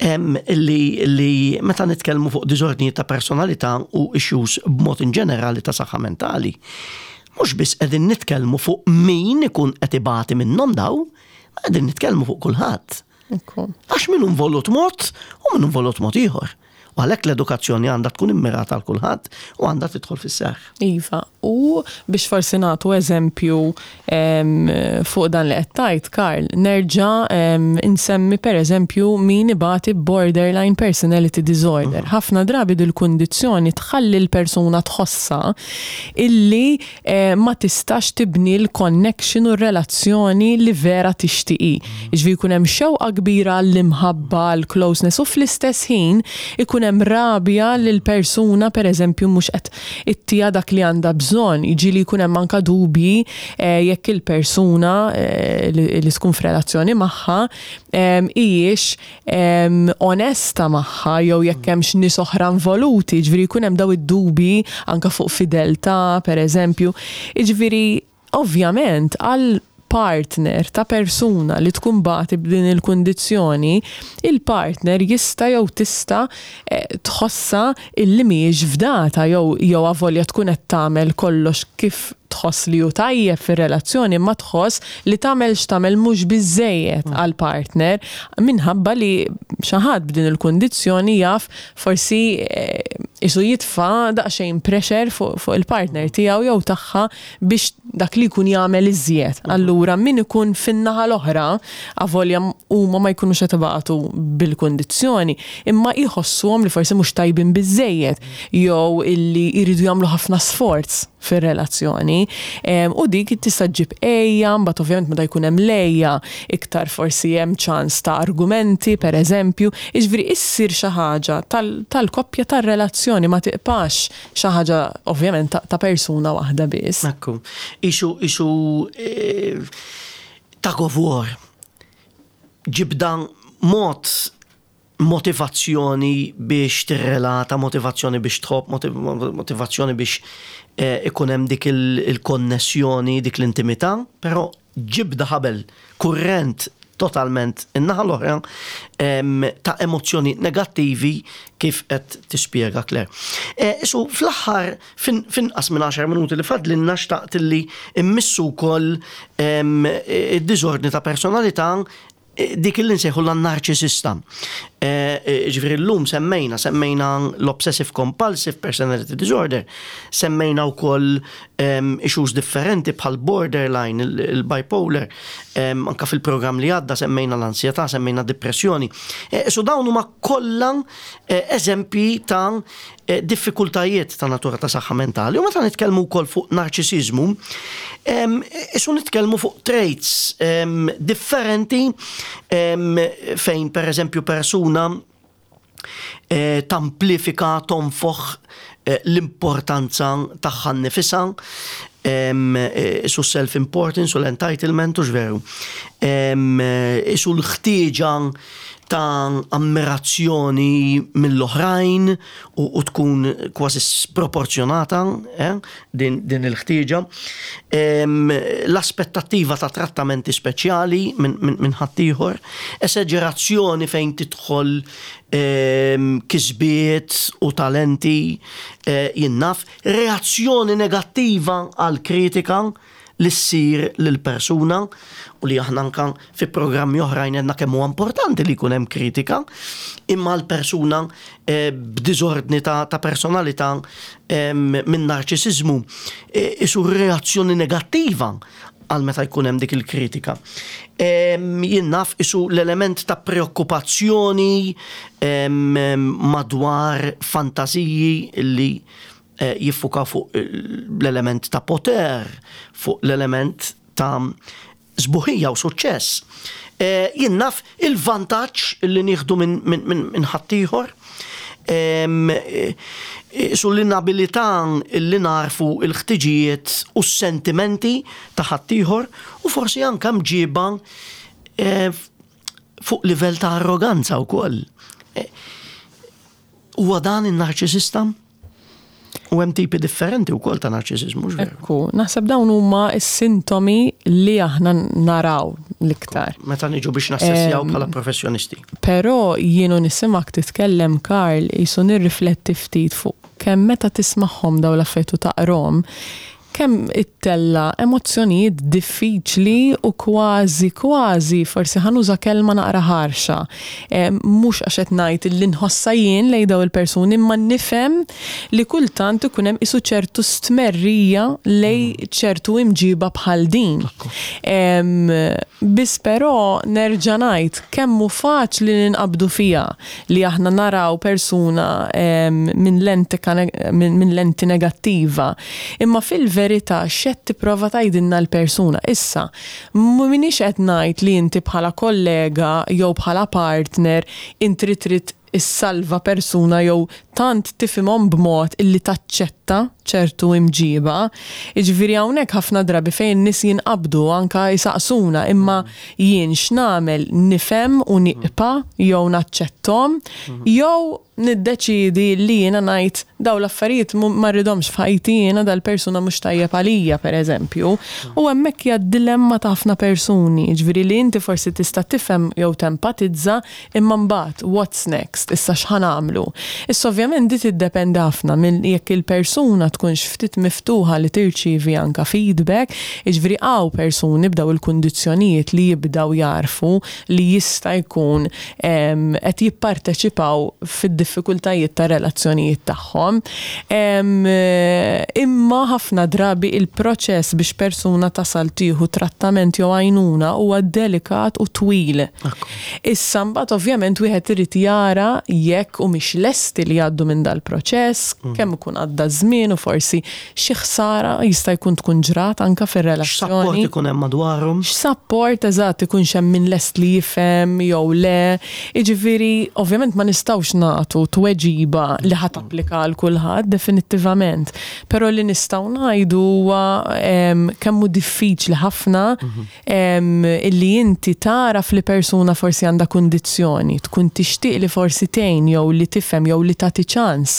em, li, li meta nitkellmu fuq diżordni ta' personalità u issues b'mod in ġenerali ta' saħħa mentali, mhux biss qegħdin nitkellmu fuq min ikun qed ibati minnhom daw, ma qegħdin nitkellmu fuq kulħadd. Ekku. Għax min involut mod u min involut mod ieħor. U għalhekk l-edukazzjoni għandha tkun immirata għal kulħadd u għandha tidħol fis-seħħ. Iva, u biex forsi nagħtu eżempju em, fuq dan li qed tgħid, Karl, nerġa' em, insemmi per eżempju min ibati borderline personality disorder. Ħafna drabi dil-kundizzjoni tħalli l-persuna tħossa illi eh, ma tistax tibni l-connection u r-relazzjoni li vera tixtieq. Jiġifieri jkun hemm xewqa kbira l-imħabba, l-closeness u fl-istess ħin ikun hemm rabja li l-persuna per eżempju mhux qed ittija dak li għandha bżonn. Jiġi li jkun hemm anka dubji eh, jekk il-persuna eh, li, li tkun f'relazzjoni magħha em, hijiex em, onesta magħha jew jekk hemmx nies oħra involuti, ġifieri jkun hemm daw id-dubji anka fuq fideltà per eżempju. Jiġifieri ovvjament għal partner ta' persuna li tkun tbati b'din il-kundizzjoni, il-partner jista' jew tista' eh, tħossa illi mhijiex fdata jew jew avolja tkun qed tagħmel kollox kif tħoss li hu tajjeb fir-relazzjoni, ma tħoss li tagħmel x'tagħmel mhux biżejjed għal partner minħabba li xi ħadd b'din il-kundizzjoni jaf forsi eh, isu jitfa' daqsxejn pressure fuq fuq il-partner tiegħu jew tagħha biex dak li jkun jagħmel iżjed. Allura min ikun fin-naħa l-oħra, avolja huma ma jkunux qed ibatu bil-kundizzjoni, imma jħossuhom li forsi mhux tajbin biżejjed jew illi jridu jagħmlu ħafna sforz fir-relazzjoni. Em, U dik tista' ġġib għeja, mbagħad ovvjament meta jkun hemm l-għeja, iktar forsi hemm ċans ta' argumenti, per eżempju, jiġifieri issir xi ħaġa tal- tal-koppja tar-relazzjoni, ma tibqax xi ħaġa ovvjament ta', ta' persuna waħda biss. Ekku, isu, isu eh, tug of war. Ġibda mod motivazzjoni biex tirrelata, motivazzjoni biex tħobb, motiv- motivazzjoni biex eh, ikun hemm dik il- il-konnessjoni, dik l-intimità, però ġibda ħabel kurrent totalment in-naħa l-oħra em, ta' emozzjoni negattivi kif qed tispjega Claire. E, so fl-aħħar fin- finqas minn għaxar minuti li fadlinna xtaqt li immissu wkoll em, id-diżordni ta' personalità eh, dik li nsejħu l-narċisista. Ġifieri llum semmejna, semmejna l-obsessive compulsive personality disorder, semmejna wkoll issues differenti bħal borderline, il-bipolar, anka fil-programm li għadda semmejna l-ansjetà, semmejna depressjoni. Eh, So dawn huma kollha eh, eżempji ta' eh, diffikultajiet ta' natura ta' saħħa mentali. U meta nitkellmu wkoll fuq narċisizmu, em, isu nitkellmu fuq traits em, differenti em, fejn per eżempju persuna eh, tamplifika, tonfoħ eh, l-importanza tagħha nnifisha, em, eh, isu self-importance u l-entitlement u x'veru. Em, eh, Isu l-ħtieġa ta' ammirazzjoni mill-oħrajn u, u tkun kważi sproporzjonata eh, din, din il-ħtieġa. Em, L-aspettattiva ta' trattamenti speċjali minn min, min ħaddieħor, esaġerazzjoni fejn tidħol em, kisbiet u talenti eh, jien naf, reazzjoni negattiva għal kritika li ssir lil persuna u li aħna anka fi programmi oħrajn għedna kemm huwa importanti li jkun hemm kritika, imma l-persuna eh, b'diżordni ta', ta' personalità em, minn narċisizmu eh, isu reazzjoni negattiva għal meta jkun hemm dik il-kritika. Em, Jien naf isu l-element ta' preokkupazzjoni em, em, madwar fantaziji li eh, jiffuka fuq l-element ta' poter, fuq l-element ta' sbuħija u suċċess. Eh, Jien naf il-vantaġġ li nieħdu minn min, min, min ħaddieħor, em, eh, su l-inabilità li narfu il-ħtiġijiet u s-sentimenti ta' ħaddieħor u forsi anka mġiba eh, fuq livell ta' arroganza wkoll. Eh, Huwa dan in-narċisista? U hemm tipi differenti wkoll ta' narċisizmu, mhux veru? Ekku, naħseb dawn huma s-sintomi li aħna naraw l-iktar. Meta niġu biex nassessjaw bħala professjonisti. Però jienu nisimak titkellem, Karl, jisu nirrifletti ftit fuq kemm meta tismagħhom daw l-affarijiet u taqrahom, kemm ittella emozzjonijiet diffiċli u kważi kważi forsi ħa nuża kelma naqra ħarxa. E, Mhux għax qed ngħid li nħossha jien lejn daw il-persuni, imma nifhem li kultant ikun hemm isu ċertu stmerrija lej ċertu imġiba bħal din. Em, Biss però nerġa' ngħid kemm hu faċli li ninqabdu fiha li aħna naraw persuna em, minn lenti minn min lenti negattiva. Imma fil-verità x'qed tipprova tgħidilna l-persuna. Issa, m'iniex qed ngħid li inti bħala kollega jew bħala partner inti trid issalva persuna jew tant tifhimhom b'mod illi taċċetta ċertu imġiba. Jiġifieri hawnhekk ħafna drabi fejn nies jinqabdu anka jisaqsuna, imma jien x'nagħmel, nifhem u nieqpa jew naċċettom jew niddeċidi li jiena ngħid daw l-affarijiet mu- ma rridhomx f'ħajti jiena, dal-persuna mhux tajjeb għalija, pereżempju. U hemmhekk hija dilemma ta' ħafna persuni, jiġifieri li inti forsi tista' tifhem jew tempatizza, imma mbagħad what's next, issa x'ħa nagħmlu? Issa ovvjament di tiddependi ħafna minn jekk il-persuna tkunx ftit miftuħa li tirċievi anka feedback, jiġifieri hawn persuni b'daw il-kundizzjonijiet li jibdaw jarfu li jista' jkun em, qed jipparteċipaw fid-diffikultajiet ta' relazzjonijiet tagħhom. Em, eh, Imma ħafna drabi il-proċess biex persuna tasal tieħu trattament jew għajnuna huwa delikat u twil. Issa mbagħad ovvjament wieħed irid jara jekk u mhix lesti li jgħaddu minn dal-proċess, kemm ikun għadda żmien u forsi xi ħsara jista' jkun tkun ġrat anka X'sapport fir-relazzjoni. ikun hemm madwarhom? X'sapport eżatt ikun hemm min lest li jifhem jew le. Jiġifieri ovvjament ma nistgħux nagħtu tweġiba li ħa tapplika għal kulħadd definittivament. Però li nistgħu ngħidu huwa em, kemm hu diffiċli ħafna em, illi inti tara li persuna forsi għandha kundizzjoni, tkun tixtieq li forsi tgħin jew li tifhem jew li tagħti ċans.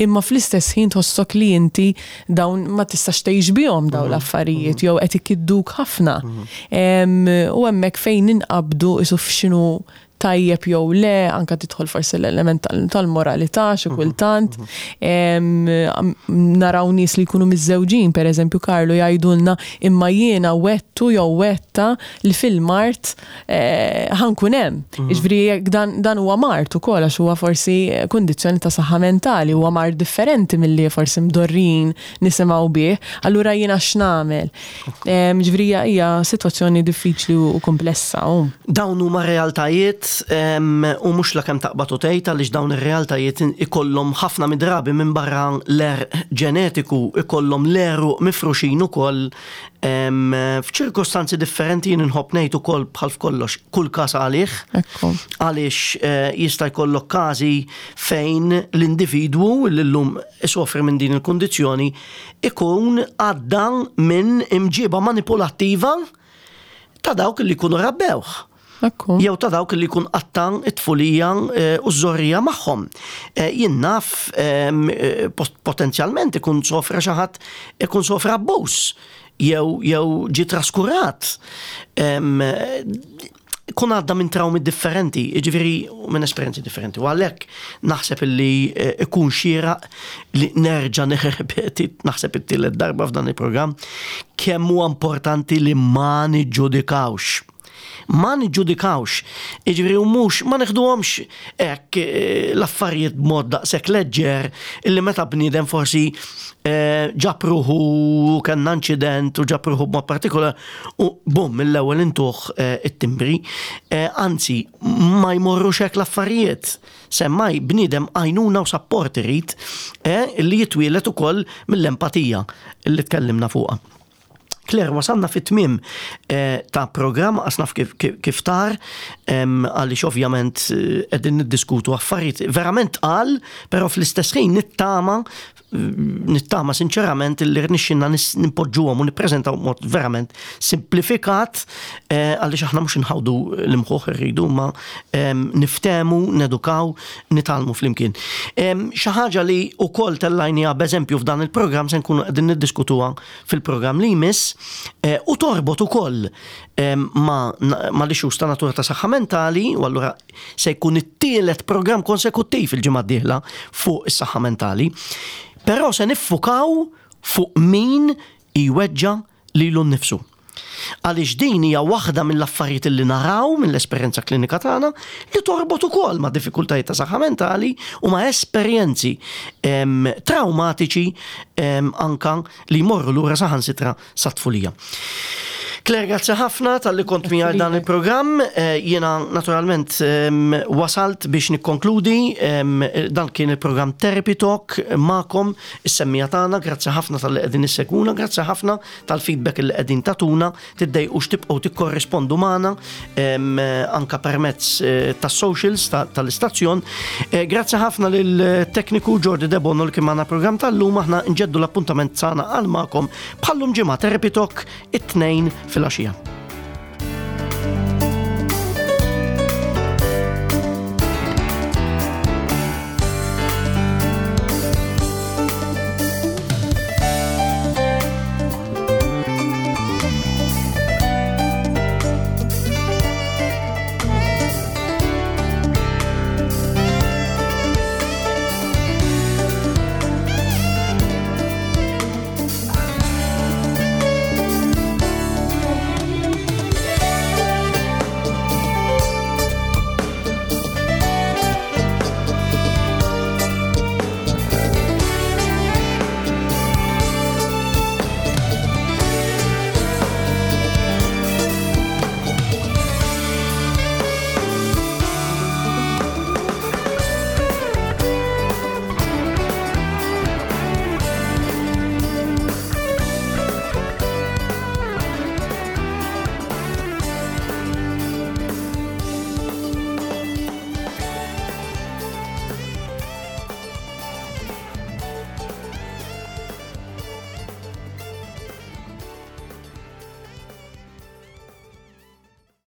Imma fl-istess ħin tħossok li inti dawn ma tistax tgħix bihom dawn l-affarijiet jew qed ikidduk ħafna. Em, U hemmhekk fejn ninqabdu isu f'xinu tajjeb jew le, anka tidħol forsi l-element tal- tal-moralità xi kultant. Em, am- Naraw nies li jkunu miżżewġin, per eżempju, Karlu, jgħidulna imma jiena wegħedtu jew wegħedtha li fil-mard eh, ħa nkun hemm. Jiġifieri jekk dan, dan huwa mard ukoll, għax huwa forsi kundizzjoni ta' saħħa mentali, huwa mard differenti milli forsi mdorrin nisimgħu bih, allura jiena x'nagħmel? Em, Jiġifieri hija- hija sitwazzjoni diffiċli u komplessa. U. Dawn huma realtajiet em, u mhux la kemm taqbad u tgħid, għaliex dawn ir-realtajiet ikollhom ħafna midrabi minn barra l-għerq ġenetiku ikollhom l-għeruq mifruxin ukoll em, f'ċirkostanzi differenti. Jien inħobb ngħid ukoll, bħal f'kollox, kull każ għalih, Ekku. għaliex eh, jista' jkollok każi fejn l-individwu li llum isofri minn din il-kundizzjoni ikun għadda minn imġiba manipulattiva ta' dawk li jkunu rabbewh. Ekku. Jew ta' dawk li jkun qatta' it-tfulija eh, u ż-żgħożija magħhom. Eh, jien naf em, eh, pot- potenzjalment ikun sofra xi ħadd, ikun sofra abbuż jew jew ġi traskurat. Em, Kun għadda minn traumi differenti, ġifieri minn esperjenzi differenti. U għalhekk naħseb illi eh, ikun xieraq li nerġa' nirrepeti, naħseb it-tielet darba f'dan il-programm, kemm huwa importanti li ma niġġudikawx. Ma niġġudikawx. Ġifieri u mhux ma neħduhomx hekk eh, l-affarijiet b'mod daqshekk leġġer illi meta bniedem forsi eh, ġab ruħu, kellna inċident u ġab ruħu b'mod partikolar u bum, mill-ewwel intuh eh, it-timbri. Eh, Anzi, ma jmorrux hekk l-affarijiet. Semmai bniedem għajnuna u sapport irid eh, li jitwielet ukoll mill-empatija li tkellimna fuqha. Claire, wasalna fit-tmiem eh, ta' programm, għasnaf kif, kif, kif tar, em, għaliex ovvjament eh, qegħdin niddiskutu affarijiet verament għal, però fl-istess ħin nittama, nittama sinċerament li rnexxinna nimpoġġuhom u nippreżentaw mod verament simplifikat, eh, għaliex aħna mhux nħawdu l-imħuħ irridu ma em, niftemu, nedukaw, nitgħallmu flimkien. Em, Xi ħaġa li wkoll tellajnija b'eżempju f'dan il-programm se nkunu qegħdin niddiskutuha fil-programm li jmiss eh, u torbot ukoll em, ma, ma l-issues ta' natura ta' saħħa mentali, u allura se jkun it-tielet programm konsekuttiv il-ġimgħa d-dieħla fuq is-saħħa mentali. Però se niffukaw fuq min iweġġa lilu nnifsu. Għaliex din hija waħda mill-affarijiet li naraw mill-esperjenza klinika tagħna li torbot ukoll ma' diffikultajiet ta' saħħa mentali u ma' esperjenzi em, traumatiċi em, anka li jmorru lura saħansitra sat-tfulija. Claire, grazzi ħafna talli kont miegħi dan il-programm. Eh, Jiena naturalment em, wasalt biex nikkonkludi. em, Dan kien il-programm Therapy Talk magħkom, is-semmiegħa tagħna. Grazzi ħafna talli qegħdin issegwuna, grazzi ħafna tal-feedback li qegħdin tagħtuna, tiddejqux tibqgħu tikkorrispondu magħna em, anka permezz eh, tas-socials ta- tal-istazzjon. Eh, Grazzi ħafna lil-tekniku Jordi Debono li kien magħna programm tal-lum. Aħna nġeddu l-appuntament tagħna għal magħkom bħallum ġimgħa, Therapy Talk, it-Tnejn filgħaxija.